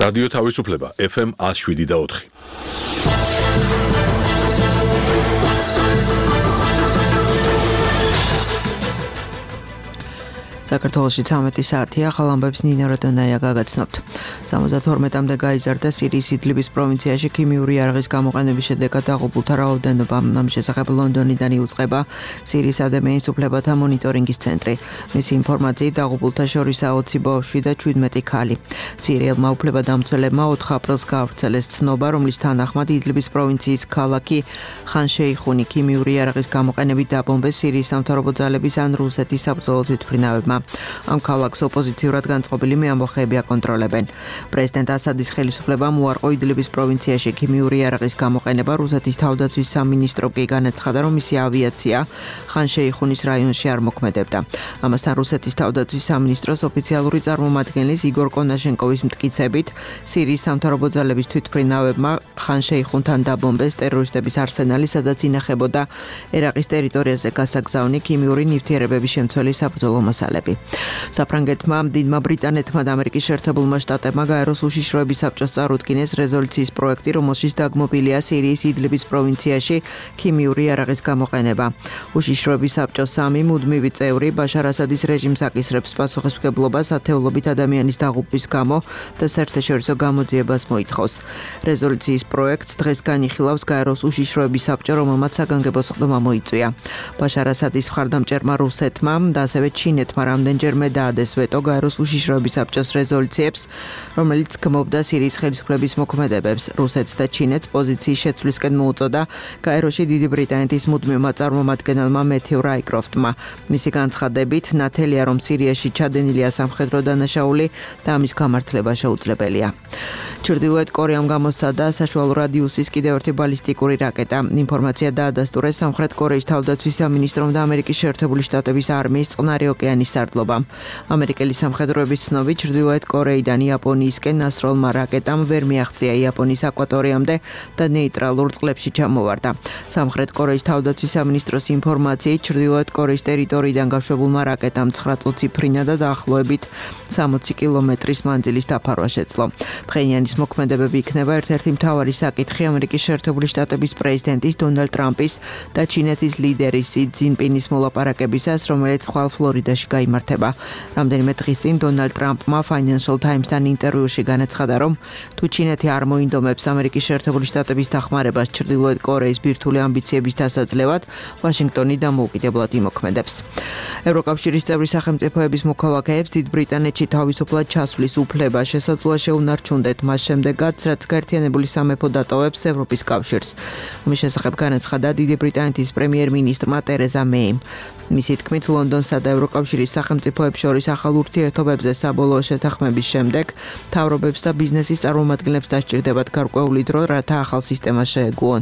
რადიო თავისუფლება FM 107.4. საქართველოში 13 საათია, ახალ ამბებს ნინა როდონაია გაგაცნობთ. 72-მდე გაიზარდა სირიის იდლიბის პროვინციაში ქიმიური იარაღის გამოყენების შედეგად დაღუპულთა რაოდენობა. ამ შესახებ ლონდონიდან იუწყება სირიის ადამიანის უფლებათა მონიტორინგის ცენტრი. მისი ინფორმაციით დაღუპულთა შორისაა 20 ბავშვი და 17 ქალი. სირიელმა უფლებადამცველებმა 4 აპრილს გაავრცელეს ცნობა, რომლის თანახმად იდლიბის პროვინციის ქალაქი ხან-შეიხუნი ქიმიური იარაღის გამოყენებით დაბომბეს სირიის სამთავრობო ძალების ან რუსეთის საბრძოლო თვითმფრინავებმა. ამ ქალაქს ოპოზიციურად განწყობილი მეამბოხეები აკონტროლებენ. პრეზიდენტ ასადის ხელისუფლებამ უარყო იდლიბის პროვინციაში ქიმიური იარაღის გამოყენება. რუსეთის თავდაცვის სამინისტრო კი განაცხადა, რომ მისი ავიაცია ხან-შეიხუნის რაიონში არ მოქმედებდა. ამასთან რუსეთის თავდაცვის სამინისტროს ოფიციალური წარმომადგენლის იგორ კონაშენკოვის მტკიცებით, სირიის სამთავრობო ძალების თვითმფრინავებმა ხან-შეიხუნთან დაბომბეს ტერორისტების არსენალი, სადაც ინახებოდა ერაყის ტერიტორიაზე გასაგზავნი ქიმიური ნივთიერებების შემცველი საბრძოლო მასალები. საფრანგეთმა, დიდმა ბრიტანეთმა და ამერიკის შეერთებულმა შტატებმა გაეროს უშიშროების საბჭოს წარუდგინეს რეზოლუციის პროექტი, რომელშიც დაგმობილია სირიის იდლიბის პროვინციაში ქიმიური იარაღის გამოყენება. უშიშროების საბჭოს 3 მუდმივი წევრი ბაშარ ასადის რეჟიმს აკისრებს პასუხისმგებლობას ათეულობით ადამიანის დაღუპვის გამო და საერთაშორისო გამოძიებას მოითხოვს. რეზოლუციის პროექტს დღეს განიხილავს გაეროს უშიშროების საბჭო, რომელმაც საგანგებო სხდომა მოიწვია. ბაშარ ასადის მხარდამჭერმა რუსეთმა და ასევე ჩინეთმა რამდენჯერმე დაადეს ვეტო გაეროს უშიშროების საბჭოს რეზოლუციებს, რომელიც გმობდა სირიის ხელისუფლების მოქმედებებს. რუსეთს და ჩინეთს პოზიციის შეცვლისკენ მოუწოდა გაეროში დიდი ბრიტანეთის მუდმივმა წარმომადგენელმა მეთიუ რაიკროფტმა. მისი განცხადებით, ნათელია, რომ სირიაში ჩადენილია სამხედრო დანაშაული და ამის გამართლება შეუძლებელია. ჩრდილოეთ კორეამ გამოსცადა საშუალო რადიუსის კიდევ ერთი ბალისტიკური რაკეტა. ინფორმაცია დაადასტურეს სამხრეთ კორეის თავდაცვის სამინისტრომ და ამერიკის შეერთებული შტატების არმიის წყნარი ოკეანის სარდლობამ. ამერიკელი სამხედროების ცნობით, ჩრდილოეთ კორეიდან იაპონიისკენ ნასროლმა რაკეტამ ვერ მიაღწია იაპონიის აკვატორიამდე და ნეიტრალურ წყლებში ჩამოვარდა. სამხრეთ კორეის თავდაცვის სამინისტროს ინფორმაციით, ჩრდილოეთ კორეის ტერიტორიიდან გაშვებულმა რაკეტამ 9 წუთიფრინა და დაახლოებით 60 კილომეტრის მანძილის დაფარვა შეძლო. ფხენიანის მოქმედებები იქნება ერთ-ერთი მთავარი საკითხი ამერიკის შეერთებული შტატების პრეზიდენტის დონალდ ტრამპის და ჩინეთის ლიდერის სი ძინპინის მოლაპარაკებისას, რომელიც ხვალ ფლორიდაში გაიმართება. რამდენიმე დღის წინ დონალდ ტრამპმა Financial Times-თან ინტერვიუში განაცხადა, რომ თუ ჩინეთი არ მოინდომებს ამერიკის შეერთებული შტატების დახმარებას ჩრდილოეთ კორეის ბირთვული ამბიციების დასაძლევად, ვაშინგტონი დამოუკიდებლად იმოქმედებს. ევროკავშირის წევრი სახელმწიფოების მოქალაქეებს დიდ ბრიტანეთში თავისუფლად ჩასვლის უფლება შესაძლოა შეუნარჩუნდეთ მას შემდეგაც, რაც გაერთიანებული სამეფო დატოვებს ევროპის კავშირს. ამის შესახებ განაცხადა დიდი ბრიტანეთის პრემიერ-მინისტრმა ტერეზა მეიმ. მისი თქმით, ლონდონსა და ევროკავშირის სახელმწიფოებს შორის ახალ ურთიერთობებზე საბოლოო შეთანხმების შემდეგ მთავრობებს და ბიზნესის წარმომადგენლებს დასჭირდებათ გარკვეული დრო, რათა ახალ სისტემას შეეგუონ.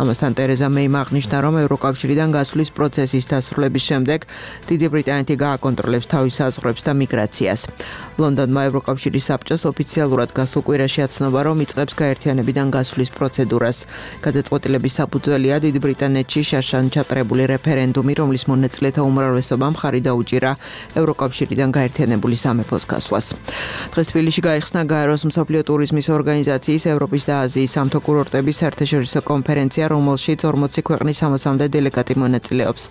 ამასთან ტერეზა მეიმ აღნიშნა, რომ ევროკავშირიდან გასვლის პროცესის დასრულების შემდეგ დიდი ბრიტანეთი გააკონტროლებს თავის საზღვრებს და მიგრაციას. ლონდონმა ევროკავშირის საბჭოს ოფიციალურად გასულ კვირაში აცნობა, რომ იწყებს გაერთიანებიდან გასვლის პროცედურას. გადაწყვეტილების საფუძველია დიდი ბრიტანეთში შარშან ჩატარებული რეფერენდუმი, რომლის მონაწილეთა უმრავლესობამ მხარი დაუჭირა ევროკავშირიდან გაერთიანებული სამეფოს გასვლას. დღეს თბილისში გაიხსნა გაეროს მსოფლიო ტურიზმის ორგანიზაციის ევროპის და აზიის სამთო კურორტების საერთაშორისო კონფერენცია, რომელშიც 40 ქვეყნის 60-მდე დელეგატი მონაწილეობს.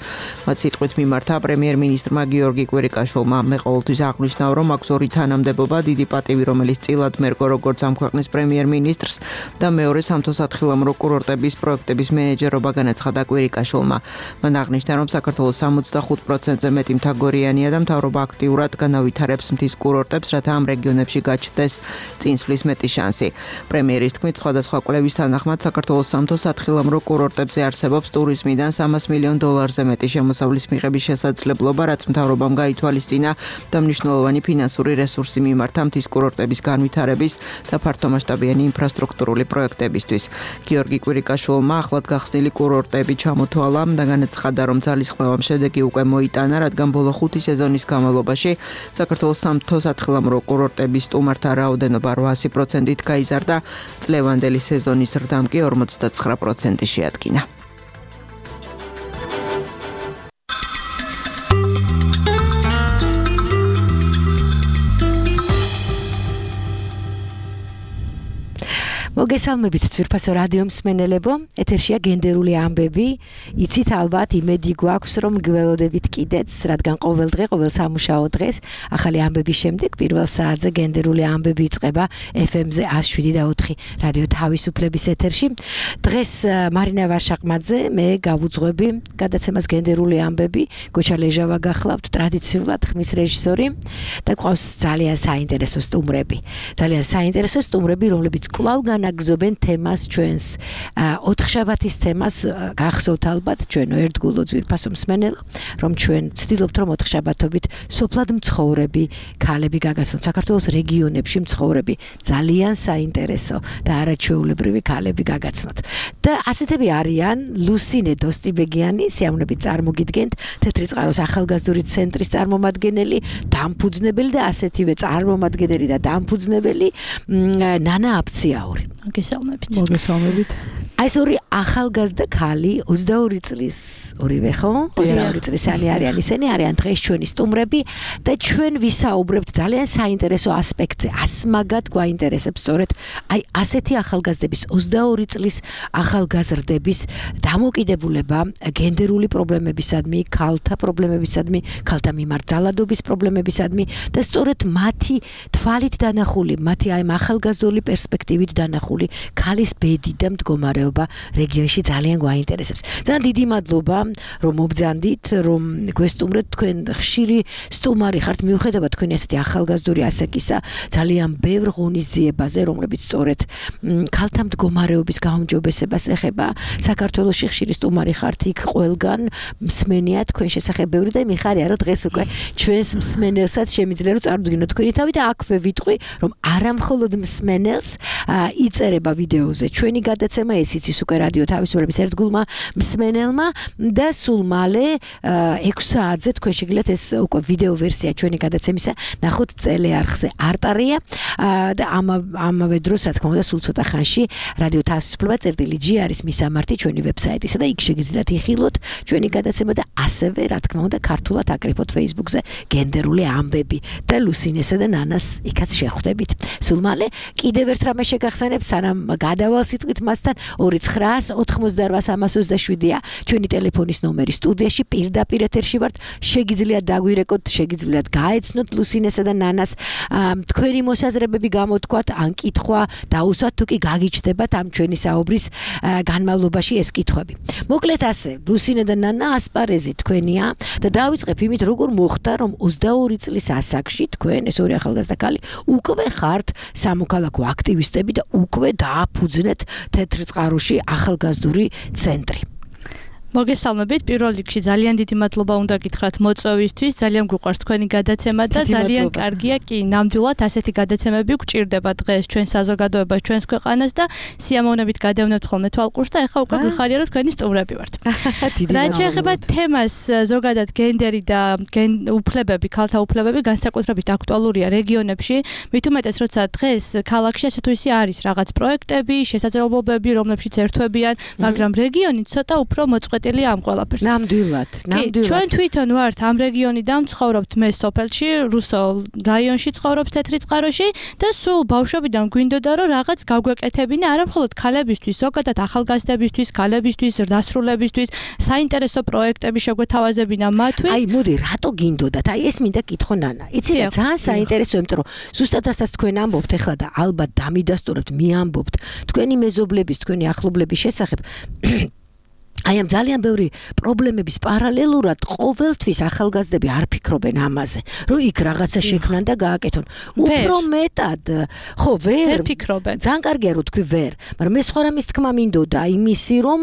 მათ სიტყვით მიმართა პრემიერ-მინისტრმა გიორგი კვირიკაშვილმა. მე ყოველთვის აღნიშნავ, რომ აქვს ორი თანამდებობა, დიდი პატივი, რომელიც წილად მერგო როგორც ამ ქვეყნის პრემიერ-მინისტრს და მეორე სამთო-სათხილამურო კურორტების პროექტების მენეჯერობა, განაცხადა კვირიკაშვილმა. მან აღნიშნა, რომ საქართველოს 65%-ზე მეტი მთაგორიანია და მთავრობა აქტიურად განავითარებს მთის კურორტებს, რათა ამ რეგიონებში გაჩნდეს წინსვლის მეტი შანსი. პრემიერის თქმით, სხვადასხვა კვლევის თანახმად საქართველოს სამთო-სათხილამურო კურორტებზე არსებობს ტურიზმიდან $300 მილიონ მეტი შემოსავლის მიღების შესაძლებლობა, რაც მთავრობამ გაითვალისწინა და მნიშვნელოვანი ფინანსური რესურსი მიმართა მთის კურორტების განვითარების და ფართომასშტაბიანი ინფრასტრუქტურული პროექტებისთვის. გიორგი კვირიკაშვილმა ახლად გახსნილი კურორტები ჩამოთვალა და განაცხადა, რომ ძალისხმევამ შედეგი უკვე მოიტანა, რადგან ბოლო 5 სეზონის განმავლობაში საქართველოს სამთო-სათხილამურო კურორტების სტუმართა რაოდენობა 800%-ით გაიზარდა, წლევანდელი სეზონის ზრდამ კი 59% შეადგინა. მოგესალმებით ძვირფასო რადიო მსმენელებო, ეთერშია გენდერული ამბები. იცით ალბათ იმედი გვაქვს რომ გველოდებით კიდეც, რადგან ყოველ დღე, ყოველ სამუშაო დღეს ახალი ამბების შემდეგ პირველ საათზე გენდერული ამბები იწყება FM-ზე 107.4 რადიო თავისუფლების ეთერში. დღეს მარინა ვაშაყმაძე, მე გავუძღვები გადაცემას გენდერული ამბები, გოჩა ლეჟავა გახლავთ ტრადიციულად ხმის რეჟისორი და გვყავს ძალიან საინტერესო სტუმრები. ძალიან საინტერესო სტუმრები, რომლებიც კვლავ განაგრძობენ თემას ჩვენს ოთხშაბათის თემას გახსოვთ ალბათ ჩვენო ერთგულო ძვირფასო მსმენელო რომ ჩვენ ვცდილობთ რომ ოთხშაბათობით სოფლად მცხოვრები ქალები გაგაცნოთ საქართველოს რეგიონებში მცხოვრები ძალიან საინტერესო და არაჩვეულებრივი ქალები გაგაცნოთ და ასეთები არიან ლუსინე დოსტიბეგიანი სიამოვნებით წარმოგიდგენთ თეთრი წყაროს ახალგაზრდული ცენტრის წარმომადგენელი დამფუძნებელი და ასეთივე წარმომადგენელი და დამფუძნებელი ნანა აფციაური. მოგესალმებით. აი ეს ორი ახალგაზრდა ქალი 22 წლის ორივე ხო? 22 წლისანი არიან, ისინი არიან დღეს ჩვენი სტუმრები და ჩვენ ვისაუბრებთ ძალიან საინტერესო ასპექტზე. ასმაგად გვაინტერესებს სწორედ აი ასეთი ახალგაზრდების 22 წლის ახალგაზრდების დამოკიდებულება გენდერული პრობლემებისადმი, ქალთა პრობლემებისადმი, ქალთა მიმართ ძალადობის პრობლემებისადმი და სწორედ მათი თვალით დანახული, მათი აი ახალგაზრდული პერსპექტივით დანახული ქალის ბედი და მდგომარეობა რეგიონში ძალიან გვაინტერესებს. ძალიან დიდი მადლობა რომ მობრძანდით, რომ გვესტუმრეთ თქვენ ხშირი სტუმარი ხართ მიუხედავად თქვენი ასეთი ახალგაზრდული ასაკისა ძალიან ბევრ ღონისძიებაზე, რომლებიც სწორედ ქალთა მდგომარეობის გაუმჯობესებას ეხება. საქართველოში ხშირი სტუმარი ხართ იქ ყველგან მსმენია თქვენ შესახებ ბევრი და მიხარია რომ დღეს უკვე ჩვენს მსმენელსაც შემიძლია რომ წარუდგინოთ თქვენი თავი და აქვე ვიტყვი რომ არა მხოლოდ მსმენელს იწერება ვიდეოზე ჩვენი გადაცემა ეს იცის უკვე რადიო თავისუფლების ერთგულმა მსმენელმა და სულ მალე 6 საათზე თქვენ შეგიძლიათ ეს უკვე ვიდეო ვერსია ჩვენი გადაცემისა ნახოთ ტელეარხზე არტარია და ამავე დროს რა თქმა უნდა სულ ცოტა ხანში რადიო თავისუფლება.g არის მისამართი ჩვენი ვებსაიტისა და იქ შეგიძლიათ იხილოთ ჩვენი გადაცემა და ასევე რა თქმა უნდა ქართულად აკრიფოთ Facebook-ზე გენდერული ამბები და ლუსინესა და ნანას იქაც შეხვდებით. სულ მალე კიდევ ერთ რამე შეგახსენებ სანამ გადავალ სიტყვით მასთან 2988327-ია ჩვენი ტელეფონის ნომერი სტუდიაში პირდაპირ ეთერში ვართ შეგიძლიათ დაგვირეკოთ შეგიძლიათ გაეცნოთ ლუსინესა და ნანას თქვენი მოსაზრებები გამოთქვათ ან კითხვა დაუსვათ თუ კი გაგიჩნდებათ ამ ჩვენი საუბრის განმავლობაში ეს კითხვები. მოკლედ ასე ლუსინე და ნანა ასპარეზი თქვენია და დავიწყებ იმით როგორ მოხდა რომ 22 წლის ასაკში თქვენ ეს ორი ახალგაზრდა ქალი უკვე ხართ სამოქალაქო აქტივისტები და უკვე დააფუძნეთ თეთრ წყაროში ახალგაზრდული ცენტრი. მოგესალმებით, პირველ რიგში ძალიან დიდი მადლობა უნდა გითხრათ მოწვევისთვის, ძალიან გვიყვარს თქვენი გადაცემა და ძალიან კარგია კი, ნამდვილად ასეთი გადაცემები გვჭირდება დღეს ჩვენ საზოგადოებას, ჩვენს ქვეყანას და სიამოვნებით გადავნებთ ხოლმე თვალყურს და ეხლა უკვე გვიხარია რომ თქვენი სტუმრები ვართ. რაც შეეხება თემას, ზოგადად გენდერი და უფლებები, ქალთა უფლებები განსაკუთრებით აქტუალურია რეგიონებში, მით უმეტეს როცა დღეს ქალაქში ასე თუ ისე არის რაღაც პროექტები, შესაძლებლობები, რომლებშიც ერთვებიან, მაგრამ რეგიონი ცოტა უფრო ამ ყველაფერს. ნამდვილად. ჩვენ თვითონ ვართ ამ რეგიონიდან ვცხოვრობთ მე სოფელში, რუსულ რაიონში ცხოვრობ თეთრი წყაროში და სულ ბავშვობიდან გვინდოდა რომ რაღაც გავგვეკეთებინა არა მხოლოდ ქალებისთვის, ზოგადად ახალგაზრდებისთვის, ქალებისთვის, დასრულებისთვის, საინტერესო პროექტები შეგვეთავაზებინა მათთვის. აი მოდი, რატო გინდოდათ? აი ეს მინდა კითხო ნანა. იცი რა ძალიან საინტერესო, იმიტომ რომ ზუსტად ასაც თქვენ ამბობთ ახლა და ალბათ დამიდასტურებთ, მიამბობთ თქვენი მეზობლების, თქვენი ახლობლების შესახებ. აი ამ ძალიან ბევრი პრობლემების პარალელურად ყოველთვის ახალგაზრდები არ ფიქრობენ ამაზე, რომ იქ რაღაცა შექმნან და გააკეთონ. უფრო მეტად, ხო, ვერ ფიქრობენ. ძალიან კარგია რომ თქვი ვერ, მაგრამ მე სხვა რამის თქმა მინდოდა, იმისი რომ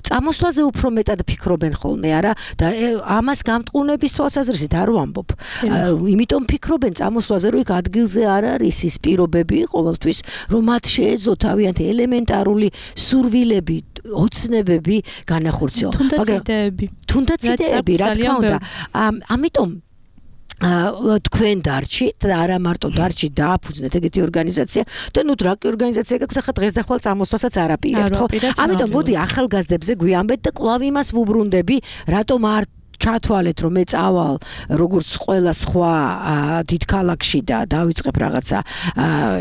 წამოსვლაზე უფრო მეტად ფიქრობენ ხოლმე, არა? და ამას გამტყუნების თვალსაზრისით არ ვამბობ. იმიტომ ფიქრობენ წამოსვლაზე, რომ იქ ადგილზე არ არის ის პირობები ყოველთვის, რომ მათ შეეძლოთ თავიანთი ელემენტარული სურვილები, ოცნებები განახორციელო. თუნდაც იდეები, რა თქმა უნდა. ამიტომ თქვენ დარჩით და არა მარტო დარჩით დააფუძნეთ ეგეთი ორგანიზაცია და ნუ დრაკი ორგანიზაცია გაქვთ ახლა დღეს და ხვალ წამოსვლასაც არ აპირებთ ხო? ამიტომ მოდი ახალგაზრდებზე გვიამბეთ და კვლავ იმას ვუბრუნდები, რატომ არ ჩათვალეთ რომ მე წავალ როგორც ყველა სხვა დიდ ქალაქში და დავიწყებ რაღაცა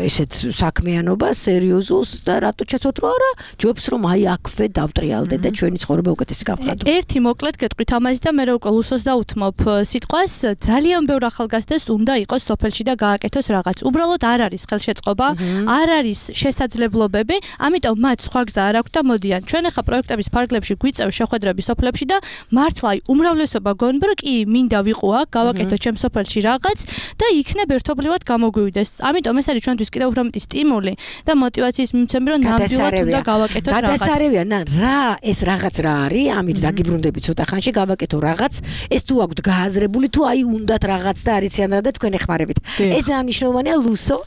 ესეთ საქმიანობა სერიოზულს და რატო ჩათვალეთ რომ არა ჯობს რომ აი აქვე დავტრიალდე და ჩვენი ცხოვრება უკეთესი გავხადო. ერთი მოკლედ გეტყვით ამაზე და მე უკვე ლუსოს დაუთმობ სიტყვას ძალიან ბევრ ახალგაზრდას უნდა იყოს სოფელში და გააკეთოს რაღაც. უბრალოდ არ არის ხელშეწყობა, არ არის შესაძლებლობები, ამიტომ მათ სხვა გზა არ აქვს და მოდიან. ჩვენ ახლა პროექტების ფარგლებში გვიწევს შეხვედრები სოფლებში და მართლა უმრავლესობა გონბრ კი მინდა ვიყო აქ, გავაკეთო ჩემ სოფელში რაღაც და იქნებ ერთობლივად გამოგვივიდეს. ამიტომ ეს არის ჩვენთვის კიდევ უფრო მეტი სტიმული და мотиваციის მიმცემი რომ ნამდვილად უნდა გავაკეთოთ რაღაც. გადასარევია, რა ეს რაღაც რა არის, ამით დაგიბრუნდები ცოტა ხანში გავაკეთო რაღაც, ეს თუ აქვთ გააზრებული თუ აი უნდათ რაღაც და არიციან რა და თქვენ ეხმარებით. ეს ძალიან მნიშვნელოვანია ლუსო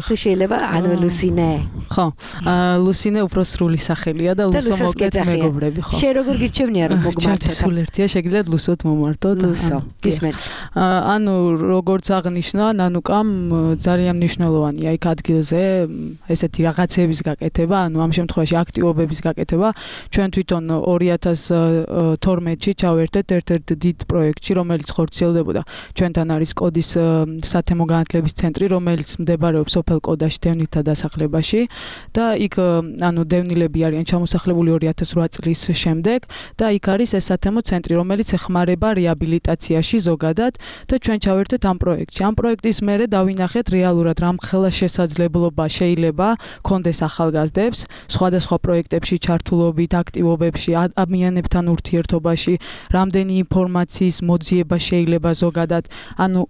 თუ შეიძლება ანუ ლუსინე. ხო, ლუსინე უფრო სრული სახელია და ლუსო მოკლედ მეგობრები, ხო. შენ როგორ გირჩევნია რომ მოგმართოთ? სულ ერთია, შეგიძლიათ ლუსოთ მომართოთ. ლუსო, ისმენ. ანუ როგორც აღნიშნა, ნანუკამ ძალიან მნიშვნელოვანია იქ ადგილზე ესეთი რაღაცების გაკეთება, ანუ ამ შემთხვევაში აქტივობების გაკეთება. ჩვენ თვითონ 2012-ში ჩავერთეთ ერთ-ერთ დიდ პროექტში, რომელიც ხორციელდებოდა. ჩვენთან არის კოდის სათემო განათლების ცენტრი, რომელიც მდებარეობს სოფელ კოდაში დევნილთა დასახლებაში და იქ ანუ დევნილები არიან ჩამოსახლებული 2008 წლის შემდეგ და იქ არის ეს სათემო ცენტრი, რომელიც ეხმარება რეაბილიტაციაში ზოგადად და ჩვენ ჩავერთეთ ამ პროექტში. ამ პროექტის მერე დავინახეთ რეალურად რამხელა შესაძლებლობა შეიძლება კონდეს ახალგაზრდებს სხვადასხვა პროექტებში ჩართულობით, აქტივობებში, ადამიანებთან ურთიერთობაში, რამდენი ინფორმაციის მოძიება შეიძლება ზოგადად, ანუ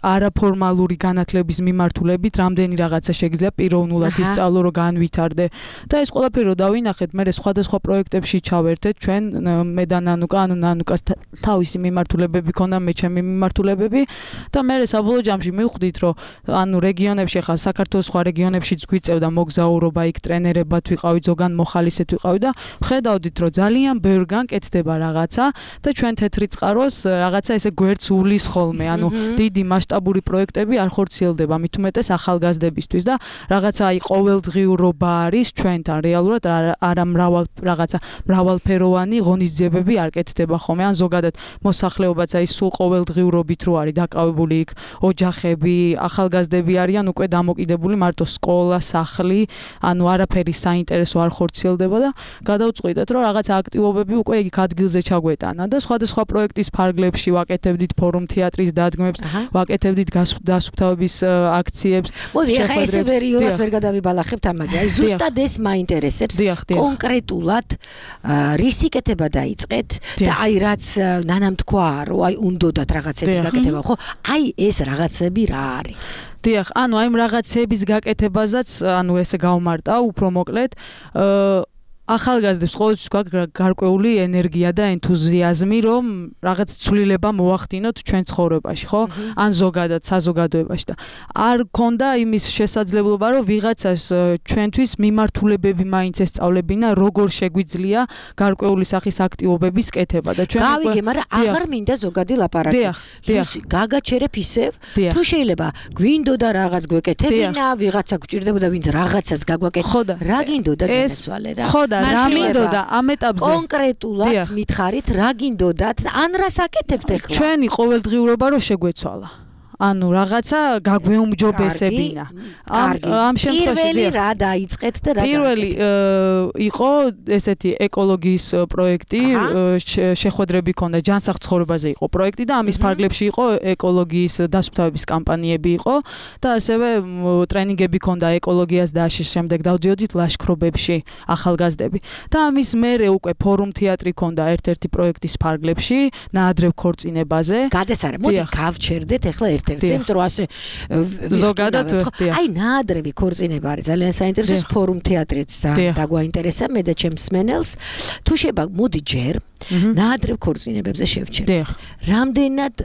არაფორმალური განათლების მიმართულებით რამდენი რაღაცა შეიძლება პიროვნულად ისწავლო, რომ განვითარდე და ეს ყველაფერი რო დავინახეთ, მე სხვადასხვა პროექტებში ჩავერთეთ ჩვენ მე და ნანუკა, ანუ ნანუკას თავისი მიმართულებები ქონდა, მე ჩემი მიმართულებები და მე საბოლოო ჯამში მივხვდით, რომ ანუ რეგიონებში ხა საქართველოს სხვა რეგიონებშიც გვიწევდა მოგზაურობა, იქ ტრენერებად ვიყავით, ზოგან მოხალისეთ ვიყავით და ხედავდით, რომ ძალიან ბევრგან კეთდება რაღაცა და ჩვენ თეთრი წყაროს რაღაცა ესე გვერდს უვლის ხოლმე, ანუ დიდი მასშტაბური პროექტები არ ხორციელდება, მით უმეტეს ახალგაზრდებისთვის და რაღაცა აი ყოველდღიურობა არის ჩვენთან რეალურად არა მრავალფეროვანი ღონისძიებები არ კეთდება ხოლმე, ან ზოგადად მოსახლეობაც აი სულ ყოველდღიურობით რო არის დაკავებული იქ ოჯახები, ახალგაზრდები არიან უკვე დამოკიდებული მარტო სკოლა, სახლი, ანუ არაფერი საინტერესო არ ხორციელდება და გადავწყვიტეთ, რომ რაღაცა აქტივობები უკვე იქ ადგილზე ჩაგვეტანა და სხვადასხვა პროექტის ფარგლებში ვაკეთებდით ფორუმ თეატრის დადგმებს, ვაკეთებდით გასუფთავების აქციებს. მოდი, ახლა ესე ვერიოდად ვერ გადავიბალახებთ ამაზე. აი ზუსტად ეს მაინტერესებს კონკრეტულად რისი კეთება დაიწყეთ და აი რაც ნანამ თქვა, რომ აი უნდათ რაღაცების გაკეთება, ხო? აი ეს რაღაცები რა არის? დიახ, ანუ აი რაღაცების გაკეთებაზეც, ანუ ესე გავმარტა უფრო მოკლედ, ახალგაზრდებს ყოველთვის გვაქვს გარკვეული ენერგია და ენთუზიაზმი, რომ რაღაც ცვლილება მოახდინოთ ჩვენ ცხოვრებაში, ხო? ან ზოგადად საზოგადოებაში და არ გქონდა იმის შესაძლებლობა, რომ ვიღაცას ჩვენთვის მიმართულებები მაინც ესწავლებინა, როგორ შეგვიძლია გარკვეული სახის აქტივობების კეთება და ჩვენ გავიგე, მაგრამ აღარ მინდა ზოგადი ლაპარაკი. დიახ. გაგაჩერებ ისევ, თუ შეიძლება გვინდოდა რაღაც გვეკეთებინა, ვიღაცა გვჭირდებოდა, ვინც რაღაცას გაგვაკეთებდა. რა გინდოდა განასვალე რა? ხო და რა მინდოდა ამ ეტაპზე კონკრეტულად მითხარით რა გინდოდათ ან რას აკეთებთ ახლა ჩვენი ყოველდღიურობა რო შეგვეცვალა ანუ რაღაცა გაგვეუმჯობესებინა ამ შემთხვევაში პირველი რა დაიწყეთ და რა პირველი იყო ესეთი ეკოლოგიის პროექტი შეხვედრები ქონდა ჯანსაღ ცხოვრებაზე იყო პროექტი და ამის ფარგლებში იყო ეკოლოგიის დასუფთავების კამპანიები იყო და ასევე ტრენინგები ქონდა ეკოლოგიას და შემდეგ დავდიოდით ლაშქრობებში ახალგაზრდები და ამის მერე უკვე ფორუმ თეატრი ქონდა ერთ-ერთი პროექტის ფარგლებში ნაადრევ ქორწინებაზე გადასარევ მოდი გავჩერდეთ ახლა იმიტომ ასე ზოგადად აი ნაადრევი ქორწინება არის ძალიან საინტერესო ფორუმ თეატრიც დაგვაინტერესა მე და ჩემს მენელს თუ შეიძლება მოდი ჯერ ნაადრევ ქორწინებებზე შევჩერდეთ რამდენად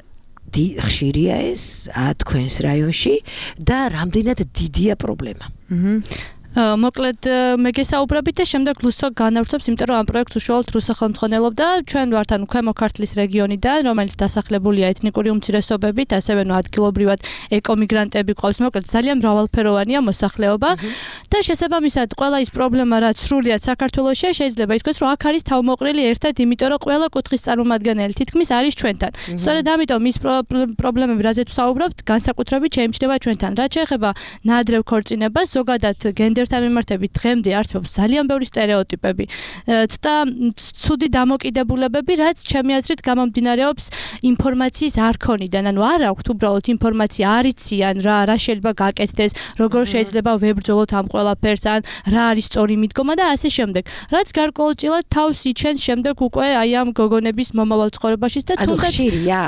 ხშირია ეს თქვენს რაიონში და რამდენად დიდია პრობლემა მოკლედ მე გესაუბრებით და შემდეგ ლუსო განავრცობს, იმიტომ რომ ამ პროექტს უშუალოდ რუსო ხელმძღვანელობდა. ჩვენ ვართ ანუ ქვემო ქართლის რეგიონიდან, რომელიც დასახლებულია ეთნიკური უმცირესობებით, ასევე ადგილობრივად ეკომიგრანტები ყავს. მოკლედ ძალიან მრავალფეროვანია მოსახლეობა და შესაბამისად ყველა ის პრობლემა, რაც სრულიად საქართველოში შეიძლება ითქვას, რომ აქ არის თავმოყრილი ერთად, იმიტომ რომ ყველა კუთხის წარმომადგენელი თითქმის არის ჩვენთან. სწორედ ამიტომ ის პრობლემები, რაზეც ვსაუბრობთ, განსაკუთრებით შეიმჩნევა ჩვენთან. რაც შეეხება ნაადრევ ქორწინებას, ზოგადად გენდერთან მიმართებით დღემდე არსებობს ძალიან ბევრი სტერეოტიპები და ცუდი დამოკიდებულებები, რაც ჩემი აზრით გამომდინარეობს ინფორმაციის არ ქონიდან. ანუ არ აქვთ უბრალოდ ინფორმაცია, არ იციან რა შეიძლება გაკეთდეს, როგორ შეიძლება ვებრძოლოთ ამ ყველაფერს, ან რა არის სწორი მიდგომა და ასე შემდეგ. რაც გარკვეულწილად თავს იჩენს შემდეგ უკვე აი ამ გოგონების მომავალ ცხოვრებაში და თუნდაც ხშირია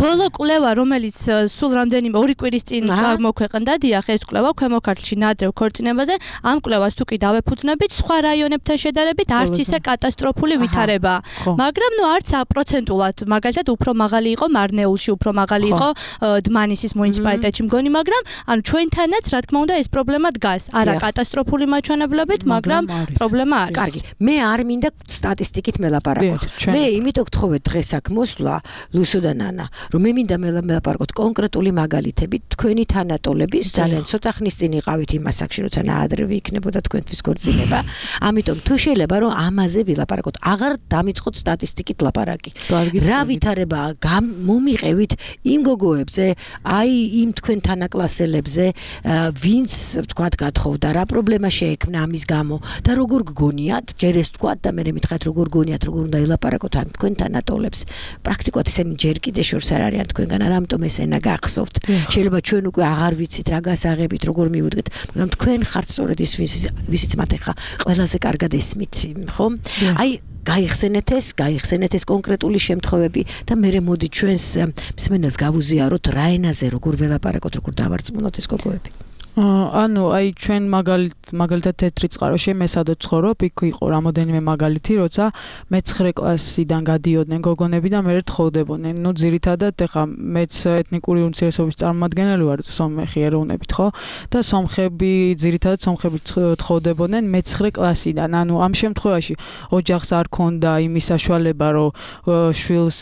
ბოლო კვლევა, რომელიც სულ რამდენიმე 2 კვირის წინ გამოქვეყნდა, დიახ, ეს კვლევა ქვემო ქართლში ნაადრევ ქორწინებაზე, ამ კვლევას თუ კი დავეფუძნებით, სხვა რაიონებთან შედარებით არც ისე კატასტროფული ვითარებაა. მაგრამ არც პროცენტულად, მაგალითად, უფრო მაღალი იყო მარნეულში, უფრო მაღალი იყო დმანისის მუნიციპალიტეტში მგონი, მაგრამ ანუ ჩვენთანაც, რა თქმა უნდა, ეს პრობლემა დგას. არა კატასტროფული მაჩვენებლებით, მაგრამ პრობლემა არის. კარგი, მე არ მინდა სტატისტიკით მელაპარაკოთ. მე იმიტომ გთხოვეთ დღეს აქ მოსვლა ლუსო და ნანა, რომ მე მინდა მელაპარაკოთ კონკრეტული მაგალითებით თქვენი თანატოლების, ძალიან ცოტა ხნის წინ იყავით იმ ასაკში, როცა ნაადრევი იქნებოდა თქვენთვის ქორწინება. ამიტომ თუ შეიძლება რომ ამაზე ვილაპარაკოთ, აღარ დამიწყოთ სტატისტიკით ლაპარაკი. რა ვითარებაა მომიყევით იმ გოგოებზე, აი იმ თქვენ თანაკლასელებზე, ვინც თქვათ გათხოვდა, რა პრობლემა შეექმნა ამის გამო და როგორ გგონიათ, ჯერ ეს თქვათ და მე მითხრათ როგორ გგონიათ, როგორ უნდა ილაპარაკოთ ამ თქვენ თანატოლებს. პრაქტიკულად ისინი ჯერ კიდე შორს არ არიან თქვენგან, ამიტომ ეს ენა გახსოვთ. შეიძლება ჩვენ უკვე აღარ ვიცით რა გასაღებით, როგორ მივუდგეთ, მაგრამ თქვენ ხართ სწორედ ის ვისიც მათ ახლა ყველაზე კარგად ესმით, ხო? აი გაიხსენეთ ეს კონკრეტული შემთხვევები და მე მოდი ჩვენს მსმენელს გავუზიაროთ რა ენაზე როგორ ველაპარაკოთ, როგორ დავარწმუნოთ ეს გოგოები. ანუ აი ჩვენ მაგალითად თეთრი წყაროში მე სადაც ცხოვრობ, იქ იყო რამოდენიმე მაგალითი, როცა მე-9 კლასიდან გადიოდნენ გოგონები და მე თხოვდებოდნენ. ნუ ძირითადად ეხა მეც ეთნიკური უმცირესობის წარმომადგენელი ვარ, სომეხი ეროვნებით, ხო? და ძირითადად სომხები თხოვდებოდნენ მე-9 კლასიდან. ანუ ამ შემთხვევაში ოჯახს არ ქონდა იმის საშუალება, რომ შვილს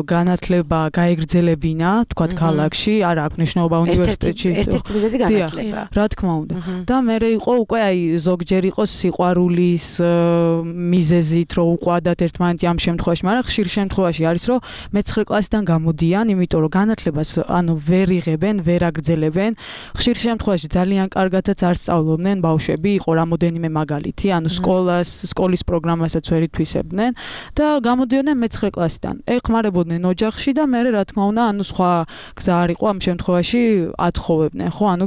განათლება გაეგრძელებინა, თქვათ ქალაქში, არ აქვს მნიშვნელობა უნივერსიტეტში. ერთ-ერთი მიზეზი განათლება. რა თქმა უნდა. და მე იყო უკვე აი ზოგჯერ იყო სიყვარულის მიზეზით, რომ უყვადათ ერთმანეთი ამ შემთხვევაში, მაგრამ ხშირ შემთხვევაში არის, რომ მე-9 კლასიდან გამოდიან, იმიტომ რომ განათლებას ანუ ვერ იღებენ, ვერ აგრძელებენ. ხშირ შემთხვევაში ძალიან კარგადაც არ სწავლობდნენ ბავშვები, იყო რამოდენიმე მაგალითი, ანუ სკოლის პროგრამასაც ვერ ითვისებდნენ და გამოდიოდნენ მე-9 კლასიდან. ეხმარებოდნენ ოჯახში და მე რა თქმა უნდა, ანუ სხვა გზა არ იყო ამ შემთხვევაში ათხოვებდნენ, ხო? ანუ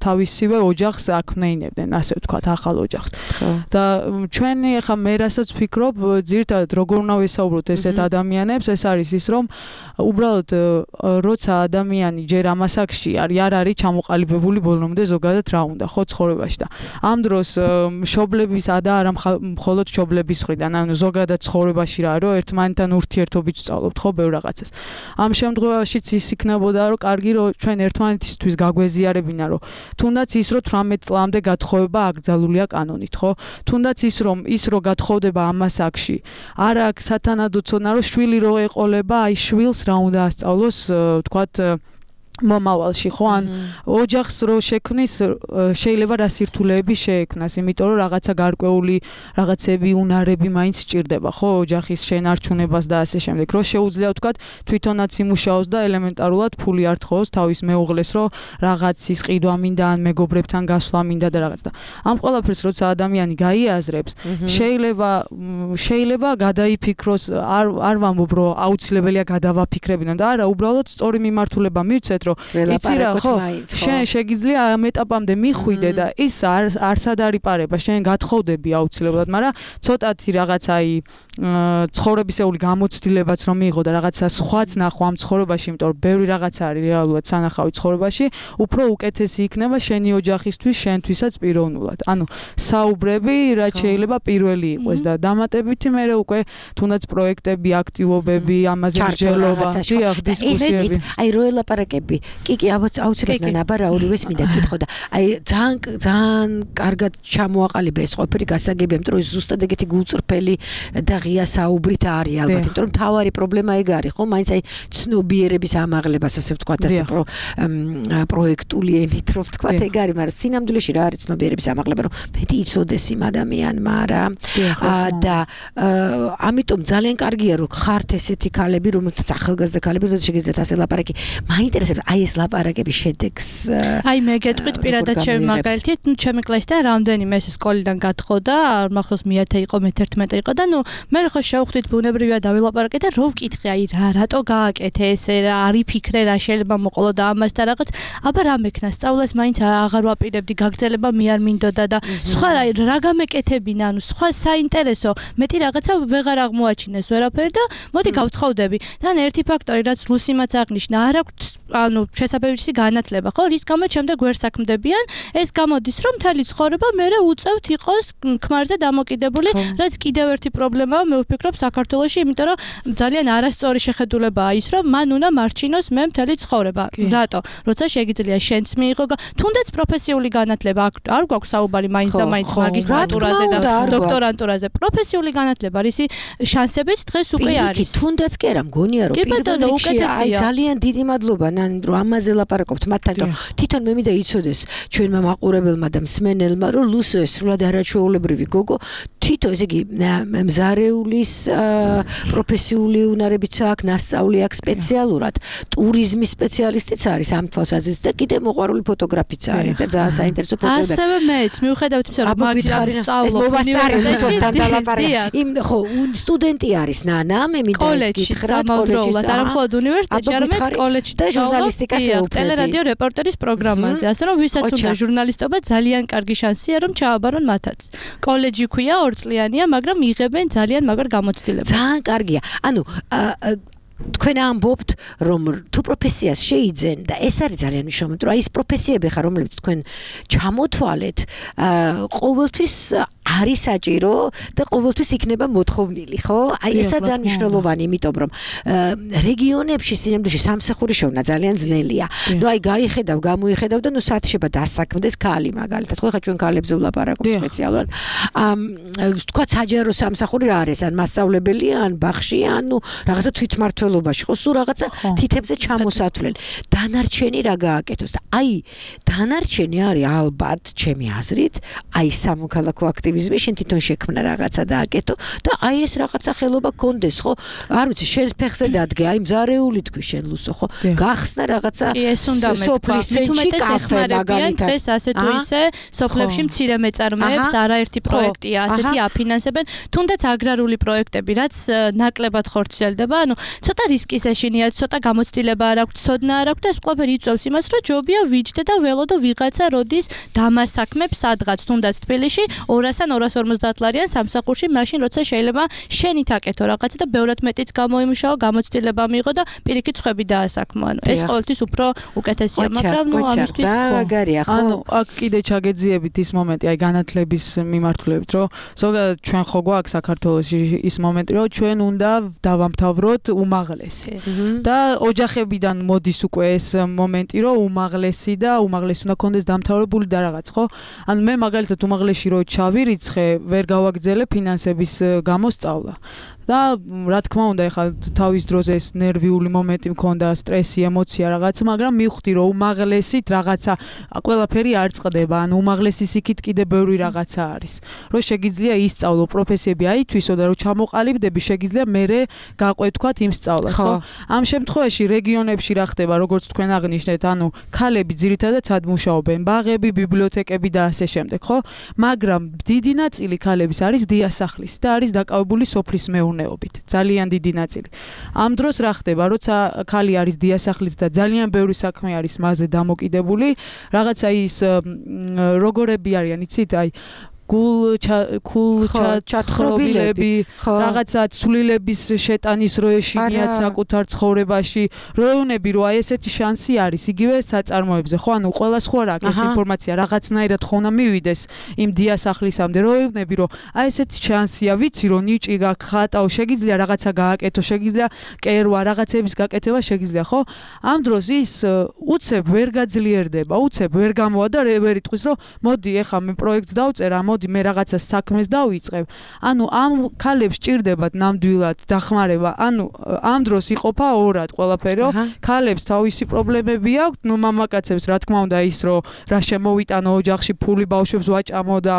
თავისივე ოჯახს აქმნეინებდნენ, ასე ვთქვათ, ახალ ოჯახს. და ჩვენი ახლა მე რასაც ვფიქრობ, ძირითადად როგორ უნდა ვესაუბროთ ესეთ ადამიანებს, ეს არის ის, რომ უბრალოდ როცა ადამიანი ჯერ ამ ასაკში არის, არ არის ჩამოყალიბებული ბოლომდე ზოგადად რა უნდა, ხო, ცხოვრებაში და ამ დროს მშობლების და არა მხოლოდ მშობლების მხრიდან, ანუ ზოგადად ცხოვრებაში რა, რომ ერთმანეთთან ურთიერთობით ვსწავლობთ, ხო, ბევრ რაღაცას. ამ შემთხვევაშიც ის იქნებოდა, რომ კარგი, რომ ჩვენ ერთმანეთისთვის გაგვეზიარებინა, რომ თუნდაც ის რომ 18 წლამდე გათხოვება აკრძალულია კანონით, ხო? თუნდაც ის რომ გათხოვდება ამ ასაკში, არ აქვს სათანადო ცოდნა, რომ შვილი რო ეყოლება, აი შვილს რა უნდა ასწავლოს, თქვათ მომავალში, ხო? ან ოჯახს რო შექმნის, შეიძლება რა სირთულეები შეექმნას, იმიტომ რომ რაღაცა გარკვეული რაღაცები, უნარები მაინც სჭირდება, ხო? ოჯახის შენარჩუნებას და ასე შემდეგ. რო შეუძლია ვთქვათ, თვითონაც იმუშაოს და ელემენტარულად ფული არ თხოვოს თავის მეუღლეს, რომ რაღაცის ყიდვა მინდა, ან მეგობრებთან გასვლა მინდა და რაღაც და. ამ ყველაფერს როცა ადამიანი გაიაზრებს, შეიძლება გადაიფიქროს, არ ვამბობ, რომ აუცილებელია გადავაფიქრებინო და არა, უბრალოდ სწორი მიმართულება მივცეთ, რომ იცი რა, ხო, შენ შეგიძლია ამ ეტაპამდე მიხვიდე და ის არსად არის პარება, შენ გათხოვდები აუცილებლად, მაგრამ ცოტათი რაღაც აი ცხოვრებისეული გამოცდილებაც რომ მიიღო და რაღაცა სხვაც ნახო ამ ცხოვრებაში, იმიტომ რომ ბევრი რაღაცა არის რეალურად სანახავი ცხოვრებაში, უფრო უკეთესი იქნება შენი ოჯახისთვის, შენთვისაც პიროვნულად. ანუ საუბრები რაც შეიძლება პირველი იყოს და დამატებითი მე უკვე თუნდაც პროექტები, აქტივობები, ამაზე მსჯელობა, დიახ, დისკუსიები. აი რო ელაპარაკები გასაგები. კი, აუცილებლად ნაბარაურივეს მინდა კითხო და აი ძალიან კარგად ჩამოაყალიბა ეს ყოფილი გასაგები, იმიტომ რომ ზუსტად ეგეთი გულწრფელი და ღია საუბრით არის ალბათ, იმიტომ რომ თავარი პრობლემა ეგ არის, ხო? მაინც აი ცნობიერების ამაღლებას ასე ვთქვათ, ასე პროექტული ენით რომ ვთქვათ, ეგ არის, მაგრამ სინამდვილეში რა არის ცნობიერების ამაღლება, რომ მეტი იცოდეს იმ ადამიანმა რა. და ამიტომ ძალიან კარგია რომ ხართ ესეთი ქალები, რომელთაც ახალგაზრდა ქალები, რომ შეგიძლიათ ასე ლაპარაკი. მაინტერესებს აი ეს ლაპარაკების შედეგს. აი მე გეტყვით პირადად ჩემი მაგალითით, ჩემი კლასიდან რამდენიმე ეს სკოლიდან გათხოვდა, მახსოვს მე-10 იყო, მე-11 იყო და მე ხო შევხვდით ბუნებრივია დავილაპარაკე და რო ვკითხე აი რატო გააკეთე ესე რა არის ფიქრე რა შეიძლება მოყოლო და ამას და რაღაც აბა რა მექნა სწავლას მაინც აღარ ვაპირებდი გაგრძელება მე არ მინდოდა და სხვა რა გამეკეთებინა ანუ სხვა საინტერესო მეტი რაღაცა ვეღარ აღმოაჩინეს ვერაფერი და მოდი გავთხოვდები და ერთი ფაქტორი რაც ლუსიმაც აღნიშნა არ აქვს ანუ შესაბამისი განათლება ხო რის გამოც შემდეგ ვერ საქმდებიან ეს გამოდის რომ მთელი ცხოვრება მე უწევთ იყოს ქმარზე დამოკიდებული რაც კიდევ ერთი პრობლემაა მე ვფიქრობ საქართველოში იმიტომ რომ ძალიან არასწორი შეხედულებაა ის რომ მან უნდა მარჩინოს მე მთელი ცხოვრება რატო როცა შეგიძლია შენც მიიღო თუნდაც პროფესიული განათლება არ გვაქვს საუბარი მაინც და მაინც მაგისტრატურაზე და დოქტორანტურაზე პროფესიული განათლება რისი შანსებიც დღეს უკვე არის თუნდაც კი არა მგონია რომ პირველ რიგში აი ძალიან დიდი მადლობა ნანი რომ ამაზე ლაპარაკობთ მათთან რომ თვითონ მე მინდა იცოდეს ჩვენმა მაყურებელმა და მსმენელმა რომ ლუსო ეს სრულად არაჩვეულებრივი გოგო თვითონ ესე იგი მზარეულის პროფესიული უნარებიც აქვს ნასწავლი აქვს სპეციალურად ტურიზმის სპეციალისტიც არის ამ თვალსაზრისით და კიდე მოყვარული ფოტოგრაფიც არის და ძალიან საინტერესო ფოტოები ასევე მეც მიუხედავად იმისა რომ მაგისტრატურაში სწავლობ უნივერსიტეტში და ლაპარაკი იმ ხო სტუდენტი არის ნანა მე მინდა ის გითხრა კოლეჯში არა მხოლოდ უნივერსიტეტში არამედ კოლეჯში და ჟურნალისტიკას ეუფლები ტელერადიო რეპორტერის პროგრამაზე ასე რომ ვისაც უნდა ჟურნალისტობა ძალიან კარგი შანსია რომ ჩააბარონ მათაც კოლეჯი ქვია 2 წლიანია მაგრამ იღებენ ძალიან მაგარ გამოცდილებას ძალიან კარგია ანუ თქვენ ამბობთ რომ თუ პროფესიას შეიძენ და ეს არის ძალიან მნიშვნელოვანი რომ აი ეს პროფესიები ხარ რომლებიც თქვენ ჩამოთვალეთ ყოველთვის არის საჭირო და ყოველთვის იქნება მოთხოვნილი ხო აი ესა ძალიან მნიშვნელოვანი იმიტომ რომ რეგიონებში სინამდვილეში სამსახური შოვნა ძალიან ძნელია ნუ აი გაიხედავ გამოიხედავ და ნუ საათშება დასაქმდეს ქალი მაგალითად ხო ხა ჩვენ ქალებზე ვლაპარაკობთ სპეციალურად თქვა საჯარო სამსახური რა არის ან მასწავლებელია ან ბაღშია ან ნუ რაღაცა თვითმმართველობაში ხო სულ რაღაცა თითებზე ჩამოსათვლელი დანარჩენი რა გააკეთოს და აი დანარჩენი არის ალბათ ჩემი აზრით აი სამოქალაქო აქტივიზმი შენ თვითონ შექმნა რაღაცა დააკეთო და აი ეს რაღაცა ხელობა გქონდეს ხო არ ვიცი შენ ფეხზე დადგე აი მზარეული თქვი შენ ლუსო ხო გახსნა რაღაცა სოფლის ცენტრი კაფე მაგალითად დღეს ასე თუ ისე სოფლებში მცირე მეწარმეებს არაერთი პროექტია ასეთი აფინანსებენ თუნდაც აგრარული პროექტები რაც ნაკლებად ხორციელდება ანუ ცოტა რისკის ეშინია ცოტა გამოცდილება არ აქვს ცოდნა არ აქვს და ეს ყველაფერი იწვევს იმას რომ ჯობია ვიჯდე და ველოდო ვიღაცა როდის დამასაქმებს სადღაც თუნდაც თბილისში 200-ან 250 ლარიან სამსახურში მაშინ როცა შეიძლება შენით აკეთო რაღაცა და ბევრად მეტიც გამოიმუშაო გამოცდილება მიიღო და პირიქით ხვები დაასაქმო ანუ ეს ყოველთვის უფრო უკეთესია მაგრამ ნუ ამისთვის ანუ აქ კიდე ჩაგეძიებით ის მომენტი აი განათლების მიმართულებით რომ ზოგადად ჩვენ ხო გვაქვს საქართველოში ის მომენტი რომ ჩვენ უნდა დავამთავროთ უმაღლესი და ოჯახებიდან მოდის უკვე ეს მომენტი რომ უმაღლესი და უმაღლესი უნდა კონდეს დამთავრებული და რაღაც ხო ანუ მე მაგალითად უმაღლესში რო ჩავირიცხე ვერ გავაგრძელე ფინანსების გამოსწავლა და რა თქმა უნდა ეხლა თავის დროზე ეს ნერვიული მომენტი მქონდა სტრესი ემოცია რაღაცა მაგრამ მივხვდი რომ უმაღლესით რაღაცა ყველაფერი არ წყდება ანუ უმაღლესის იქით კიდე ბევრი რაღაცა არის რომ შეგიძლია ისწავლო პროფესიები აითვისო და რომ ჩამოყალიბდები შეგიძლია მერე გაყვე თქვათ იმ სწავლას ხო ამ შემთხვევაში რეგიონებში რა ხდება როგორც თქვენ აღნიშნეთ ანუ ქალები ძირითადად სად მუშაობენ ბაღები ბიბლიოთეკები და ასე შემდეგ ხო მაგრამ დიდი ნაწილი ქალების არის დიასახლის და არის დაკავებული სოფლის მეურნეობით ძალიან დიდი ნაწილი ამ დროს რა ხდება როცა ქალი არის დიასახლის და ძალიან ბევრი საქმე არის მასზე დამოკიდებული რაღაცა ის როგორები არიან იცით აი გულჩათხრობილები, რაღაცა ცვლილების შეტანის როეშინიათ საკუთარ ცხოვრებაში, როეუნები რომ აი ესეთი შანსი არის იგივე საწარმოებზე, ხო, ანუ ყველას ხო არ აქვს ეს ინფორმაცია, რაღაცნაირად ხო უნდა მივიდეს იმ დიასახლისამდე, როეუნები რომ აი ესეთი შანსია, ვიცი რომ ნიჭი გაქვს, ხატაო, შეგიძლია რაღაცა გააკეთო, შეგიძლია კერვა, რაღაცების გაკეთება შეგიძლია, ხო? ამ დროს ის უცებ ვერ გაძლიერდება, უცებ ვერ გამოვა და ვერ იტყვის რომ მოდი ეხა მე პროექტს დავწერა, მოდი მე რაღაცა საქმეს დავიწყებ. ანუ ამ ქალებს ჭირდებათ ნამდვილად დახმარება. ანუ ამ დროს იყოფა ორად ყველაფერი, რომ ქალებს თავისი პრობლემები აქვთ, ნუ მამაკაცებს რა თქმა უნდა ის რომ რა შემოვიტანო ოჯახში ფული ბავშვებს ვაჭამო და